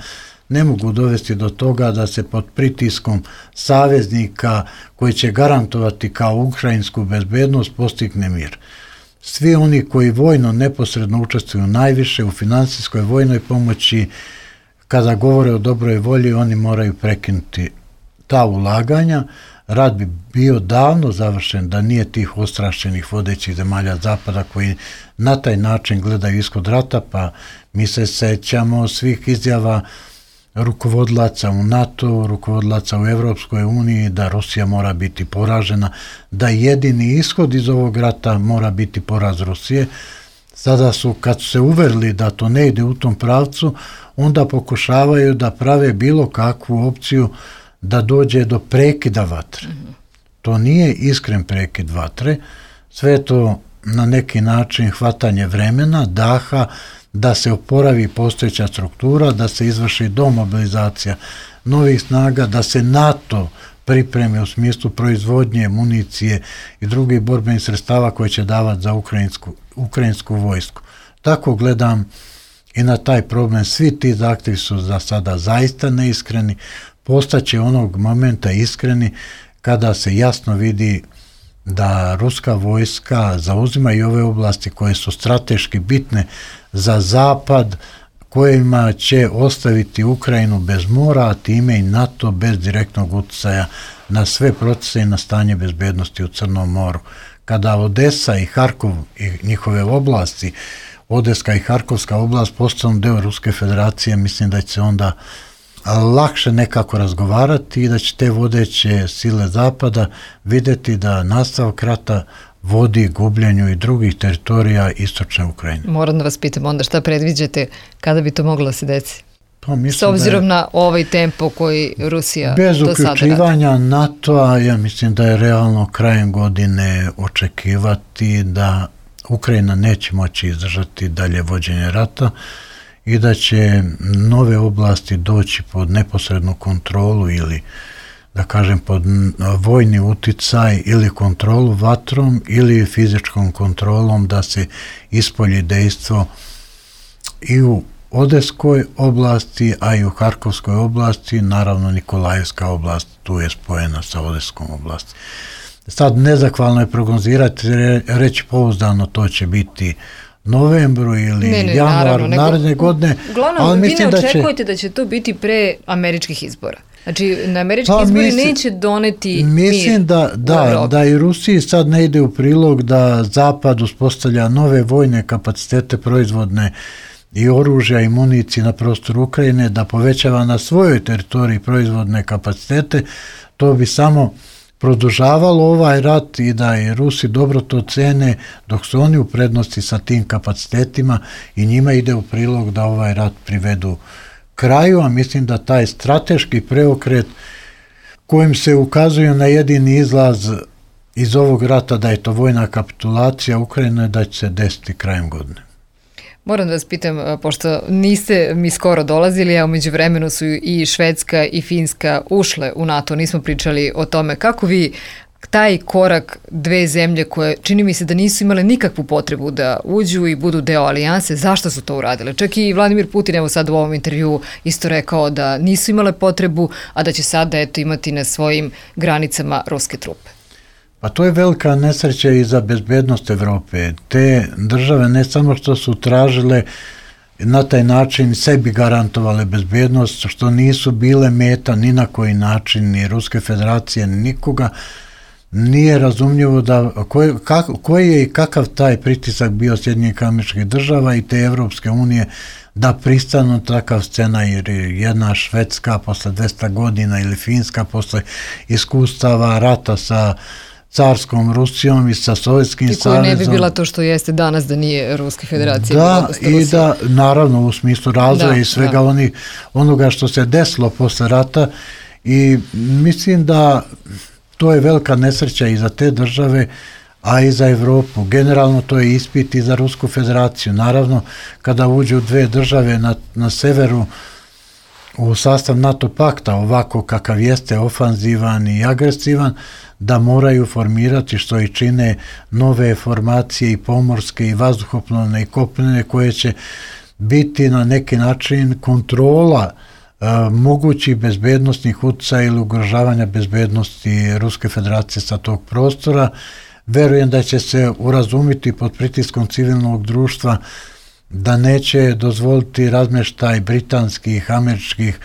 ne mogu dovesti do toga da se pod pritiskom saveznika koji će garantovati kao ukrajinsku bezbednost postigne mir. Svi oni koji vojno neposredno učestvuju najviše u finansijskoj vojnoj pomoći, kada govore o dobroj volji, oni moraju prekinuti ta ulaganja. Rat bi bio davno završen da nije tih ostrašćenih vodećih zemalja zapada koji na taj način gledaju ishod rata, pa mi se sećamo svih izjava rukovodlaca u NATO, rukovodlaca u Evropskoj uniji da Rusija mora biti poražena, da jedini ishod iz ovog rata mora biti poraz Rusije. Sada su, kad su se uverili da to ne ide u tom pravcu, onda pokušavaju da prave bilo kakvu opciju da dođe do prekida vatre. Mm-hmm. To nije iskren prekid vatre, sve je to na neki način hvatanje vremena, daha, da se oporavi postojeća struktura, da se izvrši domobilizacija novih snaga, da se NATO pripremi u smislu proizvodnje, municije i drugih borbenih sredstava koje će davati za ukrajinsku, ukrajinsku vojsku. Tako gledam i na taj problem. Svi ti zahtjevi su za sada zaista neiskreni, postaće onog momenta iskreni kada se jasno vidi da ruska vojska zauzima i ove oblasti koje su strateški bitne za zapad, kojima će ostaviti Ukrajinu bez mora, a time i NATO bez direktnog utjecaja na sve procese i na stanje bezbednosti u Crnom moru. Kada Odesa i Harkov i njihove oblasti, Odeska i Harkovska oblast postanu deo Ruske federacije, mislim da će se onda lakše nekako razgovarati i da će te vodeće sile zapada vidjeti da nastavak rata vodi gubljenju i drugih teritorija istočne Ukrajine. Moram da vas pitam onda šta predviđate kada bi to moglo da se desi? Pa s obzirom je, na ovaj tempo koji Rusija do sada radi. Bez uključivanja NATO-a, ja mislim da je realno krajem godine očekivati da Ukrajina neće moći izdržati dalje vođenje rata i da će nove oblasti doći pod neposrednu kontrolu ili, da kažem, pod vojni uticaj ili kontrolu vatrom ili fizičkom kontrolom da se ispolji dejstvo i u Odeskoj oblasti, a i u Harkovskoj oblasti, naravno Nikolajevska oblast tu je spojena sa Odeskom oblasti. Sad nezahvalno je prognozirati, reći pouzdano to će biti novembru ili ne, ne, januaru naredne godine. Uglavnom, ali vi ne očekujete da će... da će to biti pre američkih izbora. Znači, na američki pa, izbori mislim, neće doneti mislim mir da, da, da i Rusiji sad ne ide u prilog da Zapad uspostavlja nove vojne kapacitete proizvodne i oružja i municije na prostoru Ukrajine, da povećava na svojoj teritoriji proizvodne kapacitete. To bi samo produžavalo ovaj rat i da i Rusi dobro to cene dok su oni u prednosti sa tim kapacitetima i njima ide u prilog da ovaj rat privedu kraju, a mislim da taj strateški preokret kojim se ukazuju na jedini izlaz iz ovog rata da je to vojna kapitulacija Ukrajine, da će se desiti krajem godine. Moram da vas pitam, pošto niste mi skoro dolazili, a umeđu vremenu su i Švedska i Finska ušle u NATO, nismo pričali o tome. Kako vi taj korak dve zemlje koje čini mi se da nisu imale nikakvu potrebu da uđu i budu deo alijanse, zašto su to uradile? Čak i Vladimir Putin, evo sad u ovom intervju, isto rekao da nisu imale potrebu, a da će sada eto imati na svojim granicama ruske trupe. Pa to je velika nesreća i za bezbednost Evrope. Te države ne samo što su tražile na taj način sebi garantovale bezbednost, što nisu bile meta ni na koji način ni Ruske federacije, ni nikoga, nije razumljivo da koji, kak, koji je i kakav taj pritisak bio Sjedinjenih Američkih Država i te Evropske unije da pristanu takav scena, jer jedna Švedska posle dvesta godina ili Finska posle iskustava rata sa carskom Rusijom i sa Sovjetskim savezom. I koja ne bi bila to što jeste danas da nije Ruske federacije. Da, i da, naravno, u smislu razvoja da, i svega da. Oni, onoga što se desilo posle rata, i mislim da to je velika nesreća i za te države, a i za Evropu. Generalno to je ispit i za Rusku federaciju. Naravno, kada uđu dve države na, na severu u sastav NATO pakta, ovako kakav jeste, ofanzivan i agresivan, da moraju formirati, što i čine, nove formacije i pomorske i vazduhoplovne i kopnene, koje će biti na neki način kontrola e, mogućih bezbednostnih utjecaja ili ugrožavanja bezbednosti Ruske federacije sa tog prostora. Verujem da će se urazumiti pod pritiskom civilnog društva da neće dozvoliti razmeštaj britanskih, američkih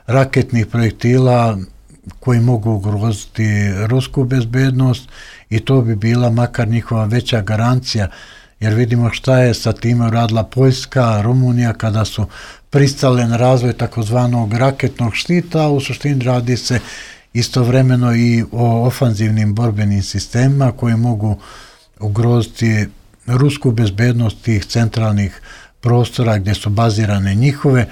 raketnih projektila koji mogu ugroziti rusku bezbednost, i to bi bila makar njihova veća garancija, jer vidimo šta je sa time uradila Poljska, Rumunija kada su pristale na razvoj takozvanog raketnog štita, a u suštini radi se istovremeno i o ofanzivnim borbenim sistemima koji mogu ugroziti rusku bezbednost tih centralnih prostora gdje su bazirane njihove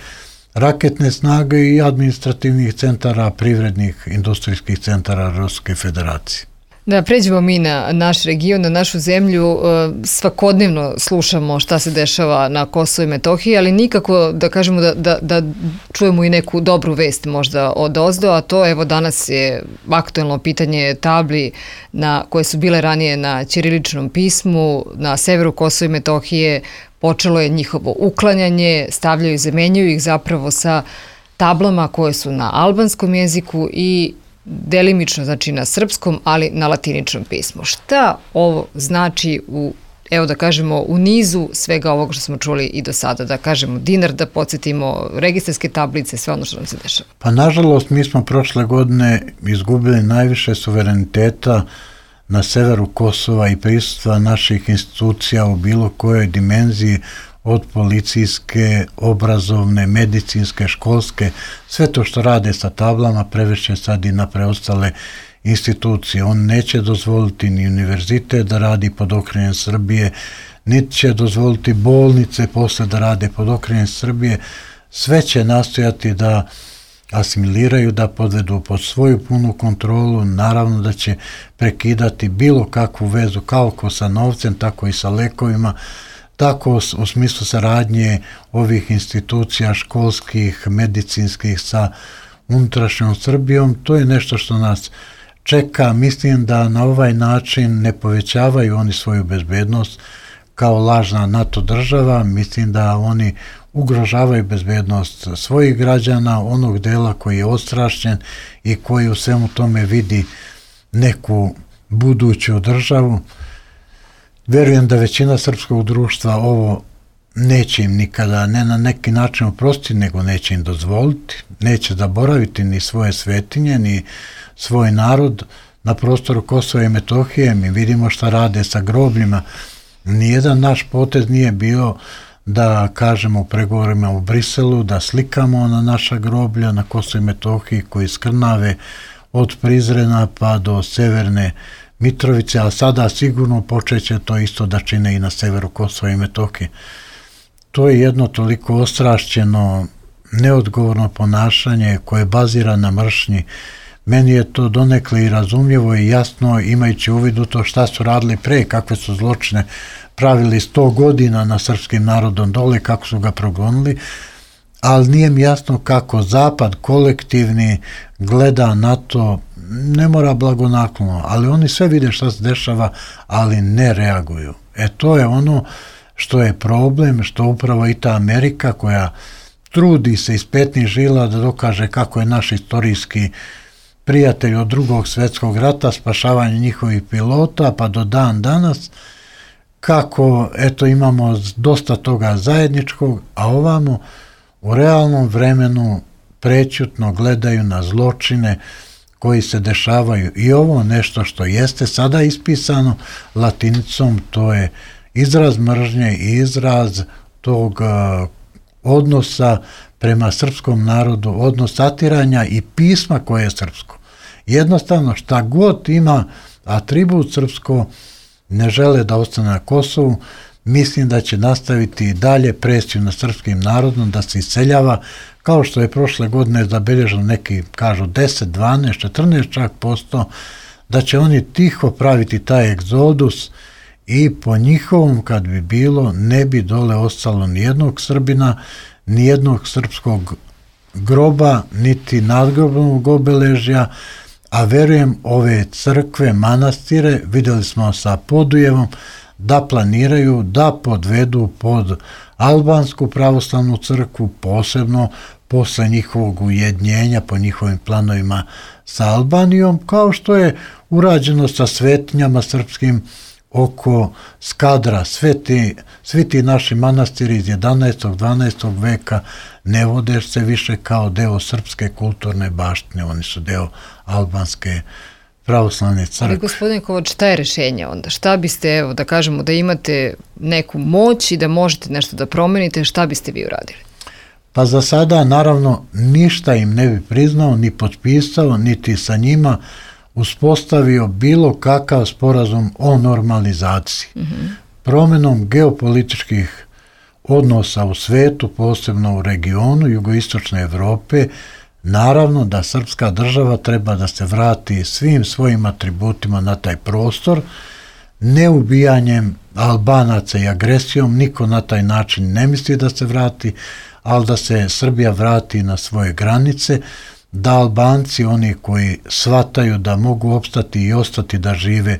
raketne snage i administrativnih centara, privrednih, industrijskih centara Ruske federacije. Da, pređemo mi na naš region, na našu zemlju. Svakodnevno slušamo šta se dešava na Kosovu i Metohiji, ali nikako da kažemo da, da, da čujemo i neku dobru vest možda od ozdo, a to evo danas je aktuelno pitanje tabli na, koje su bile ranije na ćiriličnom pismu, na severu Kosova i Metohije. Počelo je njihovo uklanjanje, stavljaju i zamenjuju ih zapravo sa tablama koje su na albanskom jeziku i delimično, znači na srpskom, ali na latiničnom pismu. Šta ovo znači u, evo da kažemo, u nizu svega ovoga što smo čuli i do sada, da kažemo dinar, da podsjetimo registarske tablice, sve ono što nam se dešava? Pa nažalost, mi smo prošle godine izgubili najviše suvereniteta na severu Kosova i prisustva naših institucija u bilo kojoj dimenziji, od policijske, obrazovne, medicinske, školske, sve to što rade sa tablama prevešće sad i na preostale institucije. On neće dozvoliti ni univerzitet da radi pod okriljem Srbije, niti će dozvoliti bolnice posle da rade pod okriljem Srbije. Sve će nastojati da asimiliraju, da podvedu pod svoju punu kontrolu. Naravno da će prekidati bilo kakvu vezu kako sa novcem, tako i sa lekovima, tako u smislu saradnje ovih institucija školskih, medicinskih sa unutrašnjom Srbijom. To je nešto što nas čeka. Mislim da na ovaj način ne povećavaju oni svoju bezbednost kao lažna NATO država. Mislim da oni ugrožavaju bezbednost svojih građana, onog dela koji je ostrašćen i koji u svemu tome vidi neku buduću državu. Verujem da većina srpskog društva ovo neće im nikada, ne na neki način oprostiti, nego neće im dozvoliti, neće zaboraviti ni svoje svetinje, ni svoj narod na prostoru Kosova i Metohije. Mi vidimo šta rade sa grobljima. Nijedan naš potez nije bio da kažemo u pregovorima u Briselu, da slikamo na naša groblja na Kosovo i Metohiji koji skrnave od Prizrena pa do severne Mitrovice, a sada sigurno počeće to isto da čine i na severu Kosova i Metohije. To je jedno toliko ostrašćeno, neodgovorno ponašanje koje bazira na mržnji Meni je to donekle i razumljivo i jasno, imajući uvid u to šta su radili pre, kakve su zločine pravili sto godina na srpskim narodom dole, kako su ga progonili, ali nije mi jasno kako Zapad kolektivni gleda na to, ne mora blagonaklono, ali oni sve vide šta se dešava, ali ne reaguju. E to je ono što je problem, što upravo i ta Amerika koja trudi se iz petnih žila da dokaže kako je naš istorijski prijatelj od drugog svjetskog rata, spašavanje njihovih pilota, pa do dan danas, kako eto imamo dosta toga zajedničkog, a ovamo u realnom vremenu prećutno gledaju na zločine koji se dešavaju. I ovo nešto što jeste sada ispisano latinicom, to je izraz mržnje i izraz tog uh, odnosa prema srpskom narodu, odnos satiranja i pisma koje je srpsko. Jednostavno šta god ima atribut srpsko, ne žele da ostane na Kosovu. Mislim da će nastaviti i dalje presiju na srpskim narodom, da se iseljava, kao što je prošle godine zabeleženo neki, kažu deset, dvanaest, četrnaest čak posto, da će oni tiho praviti taj egzodus i po njihovom, kad bi bilo, ne bi dole ostalo nijednog Srbina, nijednog srpskog groba, niti nadgrobnog obeležja, a verujem ove crkve, manastire, vidjeli smo sa Podujevom, da planiraju da podvedu pod albansku pravoslavnu crkvu, posebno posle njihovog ujedinjenja po njihovim planovima sa Albanijom, kao što je urađeno sa svetinjama srpskim oko Skadra. Sve ti, svi ti naši manastiri iz jedanaestog. dvanaestog veka ne vode se više kao deo srpske kulturne baštine, oni su deo albanske pravoslavne crkve. Ali gospodin Kovač, šta je rešenje onda? Šta biste, evo da kažemo da imate neku moć i da možete nešto da promenite, šta biste vi uradili? Pa za sada naravno ništa im ne bi priznao, ni potpisao, niti sa njima uspostavio bilo kakav sporazum o normalizaciji. Mm-hmm. Promenom geopolitičkih odnosa u svetu, posebno u regionu jugoistočne Evrope, naravno da srpska država treba da se vrati svim svojim atributima na taj prostor, ne ubijanjem Albanaca i agresijom, niko na taj način ne misli da se vrati, ali da se Srbija vrati na svoje granice, da Albanci, oni koji shvataju da mogu opstati i ostati da žive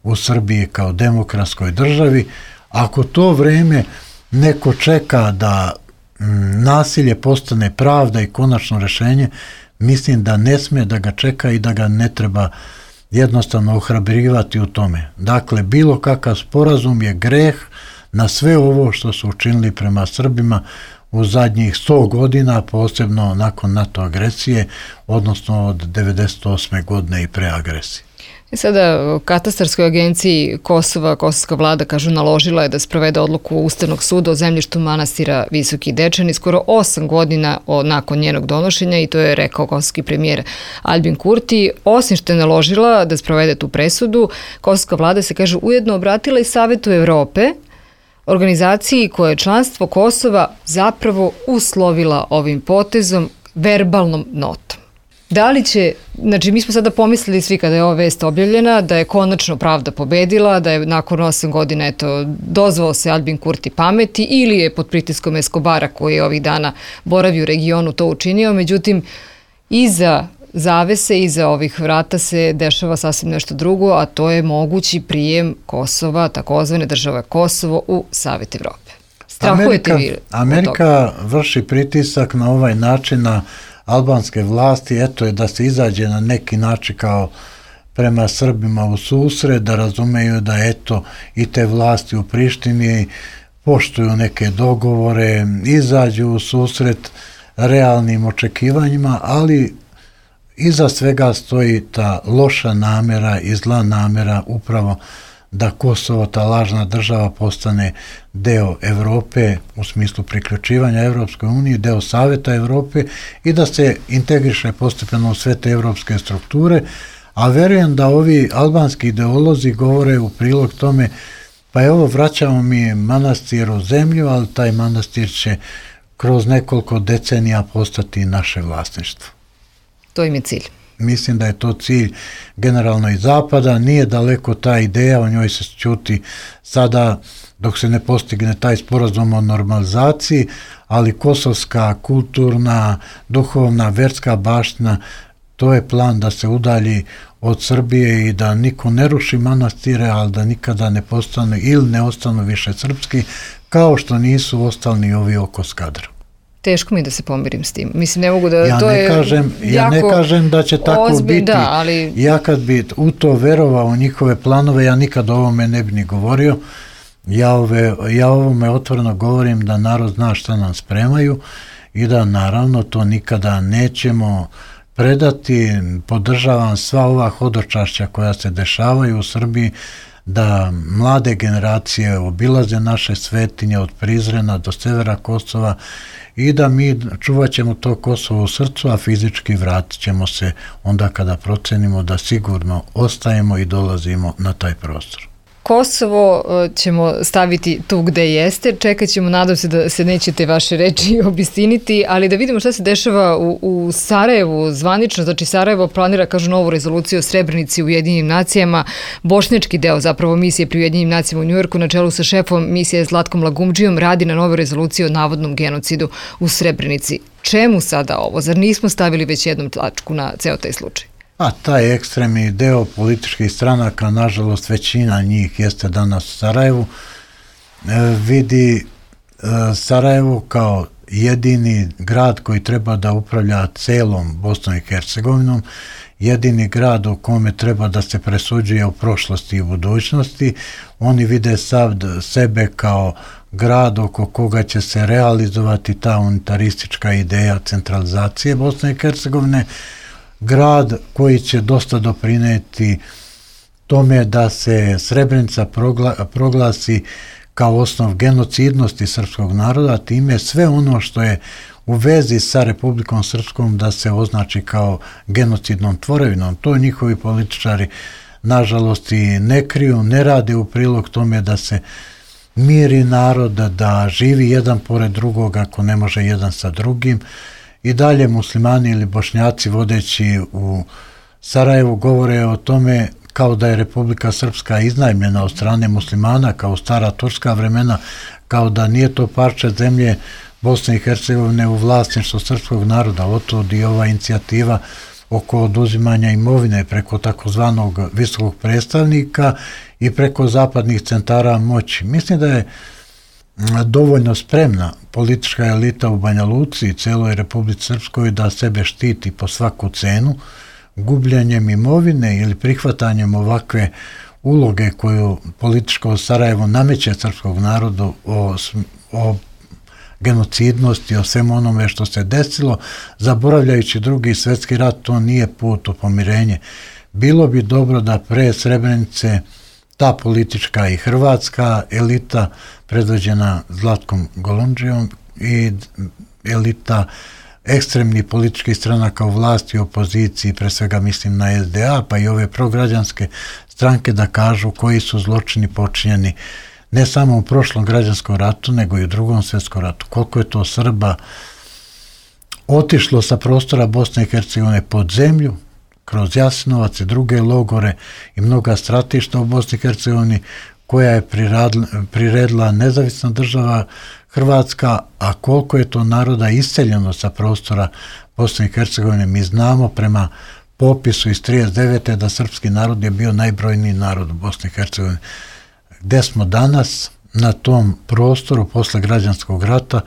u Srbiji kao demokratskoj državi, ako to vreme neko čeka da m, nasilje postane pravda i konačno rešenje, mislim da ne sme da ga čeka i da ga ne treba jednostavno ohrabrivati u tome. Dakle, bilo kakav sporazum je greh na sve ovo što su učinili prema Srbima u zadnjih sto godina, posebno nakon NATO agresije, odnosno od devedeset osme godine i pre agresije. I sada katastarskoj agenciji Kosova, kosovska vlada, kažu, naložila je da sprovede odluku Ustavnog suda o zemljištu manastira Visoki Dečani skoro osam godina od, nakon njenog donošenja, i to je rekao kosovski premijer Albin Kurti. Osim što je naložila da sprovede tu presudu, kosovska vlada se, kaže, ujedno obratila i Savetu Evrope, organizaciji koje je članstvo Kosova zapravo uslovila ovim potezom verbalnom notom. Da li će, znači mi smo sada pomislili svi kada je ova vest objavljena da je konačno pravda pobedila, da je nakon osam godina eto, dozvao se Albin Kurti pameti ili je pod pritiskom Eskobara koji je ovih dana boravi u regionu to učinio, međutim iza zavese, iza ovih vrata se dešava sasvim nešto drugo, a to je mogući prijem Kosova, takozvane države Kosovo, u Savet Evrope. Strahujete vi? Amerika vrši pritisak na ovaj način na albanske vlasti, eto je da se izađe na neki način kao prema Srbima u susret, da razumeju da eto i te vlasti u Prištini poštuju neke dogovore, izađu u susret realnim očekivanjima, ali iza svega stoji ta loša namera i zla namera upravo da Kosovo, ta lažna država, postane deo Evrope u smislu priključivanja Evropskoj uniji, deo Saveta Evrope i da se integriše postepeno u sve te evropske strukture, a verujem da ovi albanski ideolozi govore u prilog tome, pa evo vraćamo mi manastir u zemlju, ali taj manastir će kroz nekoliko decenija postati naše vlasništvo. To im je cilj. mislim da je to cilj generalno i Zapada, nije daleko ta ideja, o njoj se ćuti sada dok se ne postigne taj sporazum o normalizaciji, ali kosovska, kulturna, duhovna, verska baština, to je plan da se udalji od Srbije i da niko ne ruši manastire, ali da nikada ne postanu ili ne ostanu više srpski, kao što nisu ostali ni ovi oko Skadra. Teško mi da se pomirim s tim. Mislim, ne mogu da... Ja, to ne, je kažem, ja ne kažem da će tako ozbilj, biti. Da, ali... Ja kad bi u to verovao u njihove planove, ja nikad o ovome ne bi ni govorio. Ja, ove, ja ovome otvoreno govorim da narod zna šta nam spremaju i da naravno to nikada nećemo predati. Podržavam sva ova hodočašća koja se dešavaju u Srbiji, da mlade generacije obilaze naše svetinje od Prizrena do severa Kosova i da mi čuvat ćemo to Kosovo u srcu, a fizički vratit ćemo se onda kada procenimo da sigurno ostajemo i dolazimo na taj prostor. Kosovo ćemo staviti tu gde jeste, čekat ćemo, nadam se da se nećete vaše reči obistiniti, ali da vidimo šta se dešava u, u Sarajevu zvanično. Znači Sarajevo planira, kažu, novu rezoluciju o Srebrenici u Ujedinjenim nacijama, bošnjački deo zapravo misije pri Ujedinjenim nacijama u Njujorku na čelu sa šefom misije Zlatkom Lagumdžijom radi na novoj rezoluciji o navodnom genocidu u Srebrenici. Čemu sada ovo? Zar nismo stavili već jednom tačku na ceo taj slučaj? A taj ekstremni deo političkih stranaka, nažalost većina njih jeste danas u Sarajevu, vidi Sarajevo kao jedini grad koji treba da upravlja celom Bosnom i Hercegovinom, jedini grad u kome treba da se presuđuje u prošlosti i budućnosti. Oni vide sav sebe kao grad oko koga će se realizovati ta unitaristička ideja centralizacije Bosne i Hercegovine, grad koji će dosta doprineti tome da se Srebrenica progla, proglasi kao osnov genocidnosti srpskog naroda, time sve ono što je u vezi sa Republikom Srpskom da se označi kao genocidnom tvorevinom. To njihovi političari nažalost i ne kriju, ne rade u prilog tome da se miri narod, da živi jedan pored drugog ako ne može jedan sa drugim. I dalje muslimani ili bošnjaci vodeći u Sarajevu govore o tome kao da je Republika Srpska iznajmljena od strane muslimana, kao stara turska vremena, kao da nije to parče zemlje Bosne i Hercegovine u vlasništvu srpskog naroda. Otod i ova inicijativa oko oduzimanja imovine preko takozvanog visokog predstavnika i preko zapadnih centara moći. Mislim da je dovoljno spremna politička elita u Banja Luci i celoj Republici Srpskoj da sebe štiti po svaku cenu, gubljanjem imovine ili prihvatanjem ovakve uloge koju političko Sarajevo nameće srpskog narodu o, o genocidnosti, o svemu onome što se desilo, zaboravljajući drugi svjetski rat, to nije put u pomirenje. Bilo bi dobro da pre Srebrenice ta politička i hrvatska elita predvođena Zlatkom Golundžijom i elita ekstremnih političkih stranaka u vlasti i opoziciji, pre svega mislim na S D A, pa i ove prograđanske stranke da kažu koji su zločini počinjeni ne samo u prošlom građanskom ratu, nego i u drugom svjetskom ratu. Koliko je to Srba otišlo sa prostora Bosne i Hercegovine pod zemlju, kroz Jasenovac i druge logore i mnoga stratišta u Bosni i Hercegovini koja je priredila nezavisna država Hrvatska, a koliko je to naroda iseljeno sa prostora Bosne i Hercegovine. Mi znamo prema popisu iz trideset devete da srpski narod je bio najbrojniji narod u Bosni i Hercegovini. Gde smo danas na tom prostoru posle građanskog rata,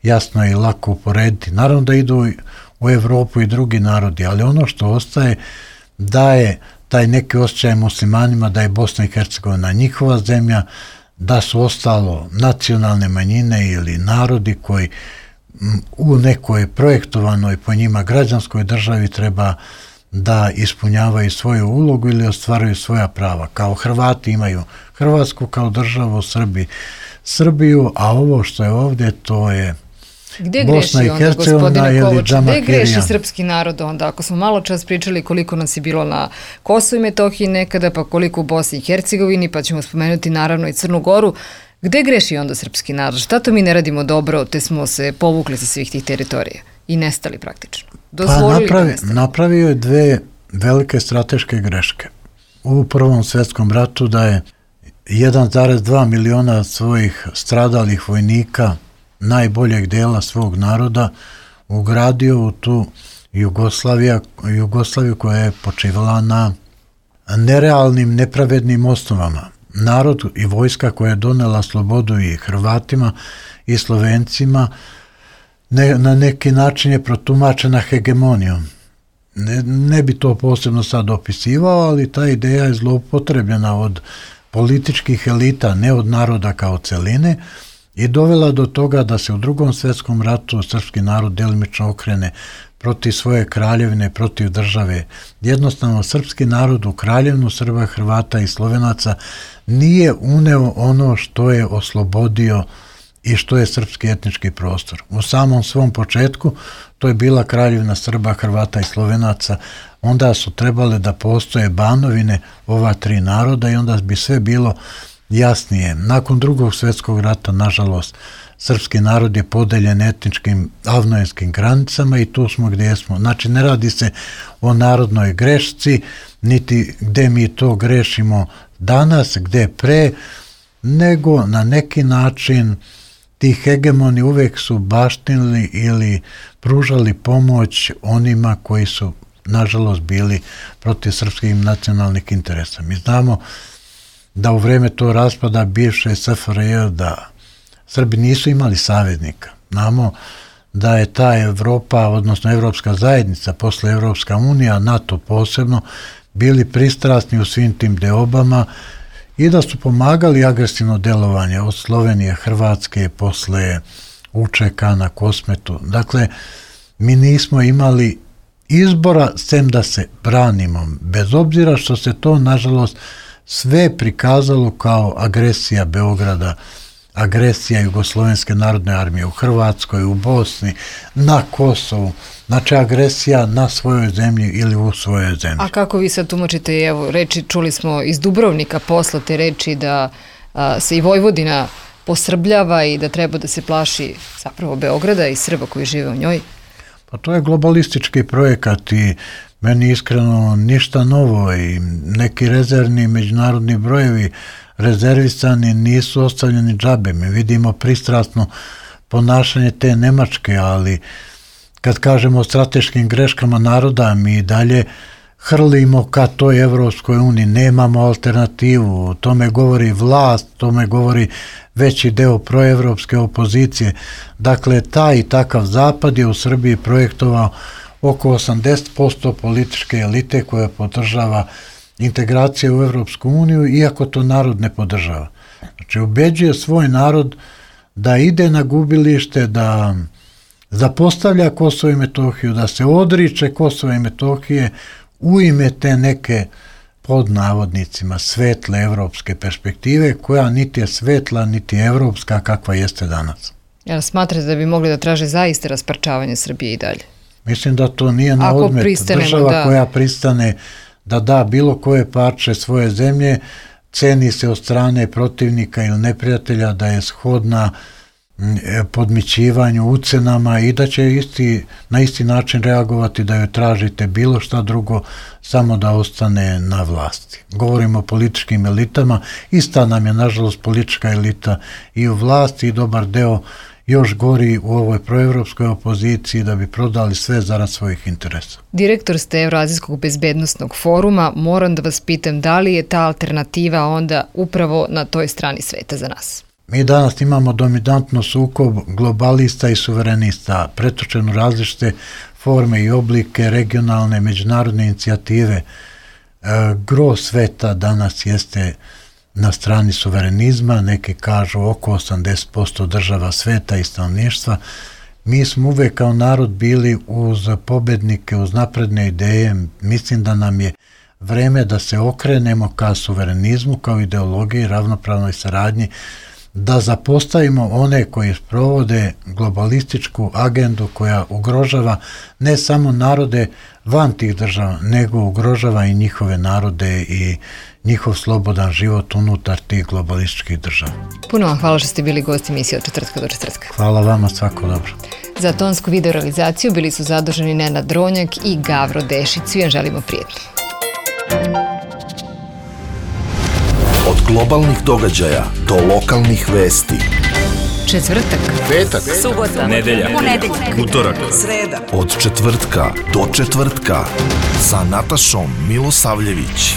jasno je i lako uporediti. Naravno da idu u Evropu i drugi narodi, ali ono što ostaje daje taj neki osjećaj muslimanima da je Bosna i Hercegovina njihova zemlja, da su ostalo nacionalne manjine ili narodi koji u nekoj projektovanoj po njima građanskoj državi treba da ispunjavaju svoju ulogu ili ostvaruju svoja prava. Kao Hrvati imaju Hrvatsku kao državu, Srbi Srbiju, a ovo što je ovdje to je Gde Bosna greši i Hercegovina ili Džamakirijan. Gde greši srpski narod onda? Ako smo malo čas pričali koliko nas je bilo na Kosovu i Metohiji nekada, pa koliko u Bosni i Hercegovini, pa ćemo spomenuti naravno i Crnu Goru. Gde greši onda srpski narod? Šta to mi ne radimo dobro, te smo se povukli sa svih tih teritorija i nestali praktično? Pa napravi, napravio je dve velike strateške greške. U Prvom svjetskom ratu da je jedan zarez dva miliona svojih stradalih vojnika najboljeg dela svog naroda ugradio u tu Jugoslaviju, Jugoslaviju koja je počivala na nerealnim, nepravednim osnovama. Narod i vojska koja je donela slobodu i Hrvatima i Slovencima ne, na neki način je protumačena hegemonijom. Ne, ne bi to posebno sad opisivao, ali ta ideja je zloupotrebljena od političkih elita, ne od naroda kao celine, i dovela do toga da se u Drugom svjetskom ratu srpski narod delimično okrene protiv svoje kraljevine, protiv države. Jednostavno, srpski narod u kraljevinu Srba, Hrvata i Slovenaca nije uneo ono što je oslobodio i što je srpski etnički prostor. U samom svom početku to je bila kraljevina Srba, Hrvata i Slovenaca, onda su trebale da postoje banovine ova tri naroda i onda bi sve bilo jasnije. Nakon Drugog svjetskog rata, nažalost, srpski narod je podeljen etničkim avnojenskim granicama i tu smo gdje smo. Znači, ne radi se o narodnoj grešci, niti gdje mi to grešimo danas, gdje pre, nego na neki način ti hegemoni uvijek su baštinili ili pružali pomoć onima koji su, nažalost, bili protiv srpskih nacionalnih interesa. Mi znamo da u vrijeme to raspada bivše S F R J da Srbi nisu imali saveznika. Znamo da je ta Evropa, odnosno Evropska zajednica, posle Evropska unija, NATO posebno, bili pristrasni u svim tim deobama i da su pomagali agresivno delovanje od Slovenije, Hrvatske, posle U Č K na Kosmetu. Dakle, mi nismo imali izbora sem da se branimo, bez obzira što se to, nažalost, sve prikazalo kao agresija Beograda, agresija Jugoslovenske narodne armije u Hrvatskoj, u Bosni, na Kosovu, znači agresija na svojoj zemlji ili u svojoj zemlji. A kako vi sad tumačite, evo, reči, čuli smo iz Dubrovnika posle te reči da a, se i Vojvodina posrbljava i da treba da se plaši zapravo Beograda i Srba koji žive u njoj? Pa to je globalistički projekat i meni iskreno ništa novo i neki rezervni međunarodni brojevi rezervisani nisu ostavljeni džabe. Mi vidimo pristrasno ponašanje te Nemačke, ali kad kažemo o strateškim greškama naroda, mi dalje hrlimo ka toj Evropskoj uniji, nemamo alternativu, tome govori vlast, tome govori veći deo proevropske opozicije. Dakle, taj i takav zapad je u Srbiji projektovao oko osamdeset posto političke elite koja podržava integracije u Evropsku uniju, iako to narod ne podržava. Znači, ubeđuje svoj narod da ide na gubilište, da zapostavlja Kosovo i Metohiju, da se odriče Kosova i Metohije u ime te neke, pod navodnicima, svetle evropske perspektive, koja niti je svetla, niti je evropska kakva jeste danas. Jel smatrate da bi mogli da traže zaista rasparčavanje Srbije i dalje? Mislim da to nije na odmet. Država da... koja pristane da da bilo koje parče svoje zemlje, ceni se od strane protivnika ili neprijatelja da je shodna podmićivanju, ucenama i da će isti, na isti način reagovati da joj tražite bilo šta drugo, samo da ostane na vlasti. Govorimo o političkim elitama, ista nam je nažalost politička elita i u vlasti i dobar deo još gori u ovoj proevropskoj opoziciji da bi prodali sve zarad svojih interesa. Direktor ste Evroazijskog bezbednostnog foruma, moram da vas pitam da li je ta alternativa onda upravo na toj strani sveta za nas? Mi danas imamo dominantno sukob globalista i suverenista, pretočen u različite forme i oblike regionalne međunarodne inicijative. E, gro sveta danas jeste na strani suverenizma, neki kažu oko osamdeset posto država sveta i stanovništva. Mi smo uvek kao narod bili uz pobednike, uz napredne ideje. Mislim da nam je vreme da se okrenemo ka suverenizmu, kao ideologiji, ravnopravnoj saradnji, da zapostavimo one koji sprovode globalističku agendu koja ugrožava ne samo narode van tih država, nego ugrožava i njihove narode i njihov slobodan život unutar tih globalističkih država. Puno vam hvala što ste bili gosti emisije Od četvrtka do četvrtka. Hvala vama, svako dobro. Za tonsku videorealizaciju bili su zaduženi Nenad Dronjak i Gavro Dešić. Svi vam želimo prijetno. Od globalnih događaja do lokalnih vesti. Četvrtak, Petak, subota, nedelja, ponedeljak, utorak, sreda. od četvrtka do četvrtka sa Natašom Milosavljević.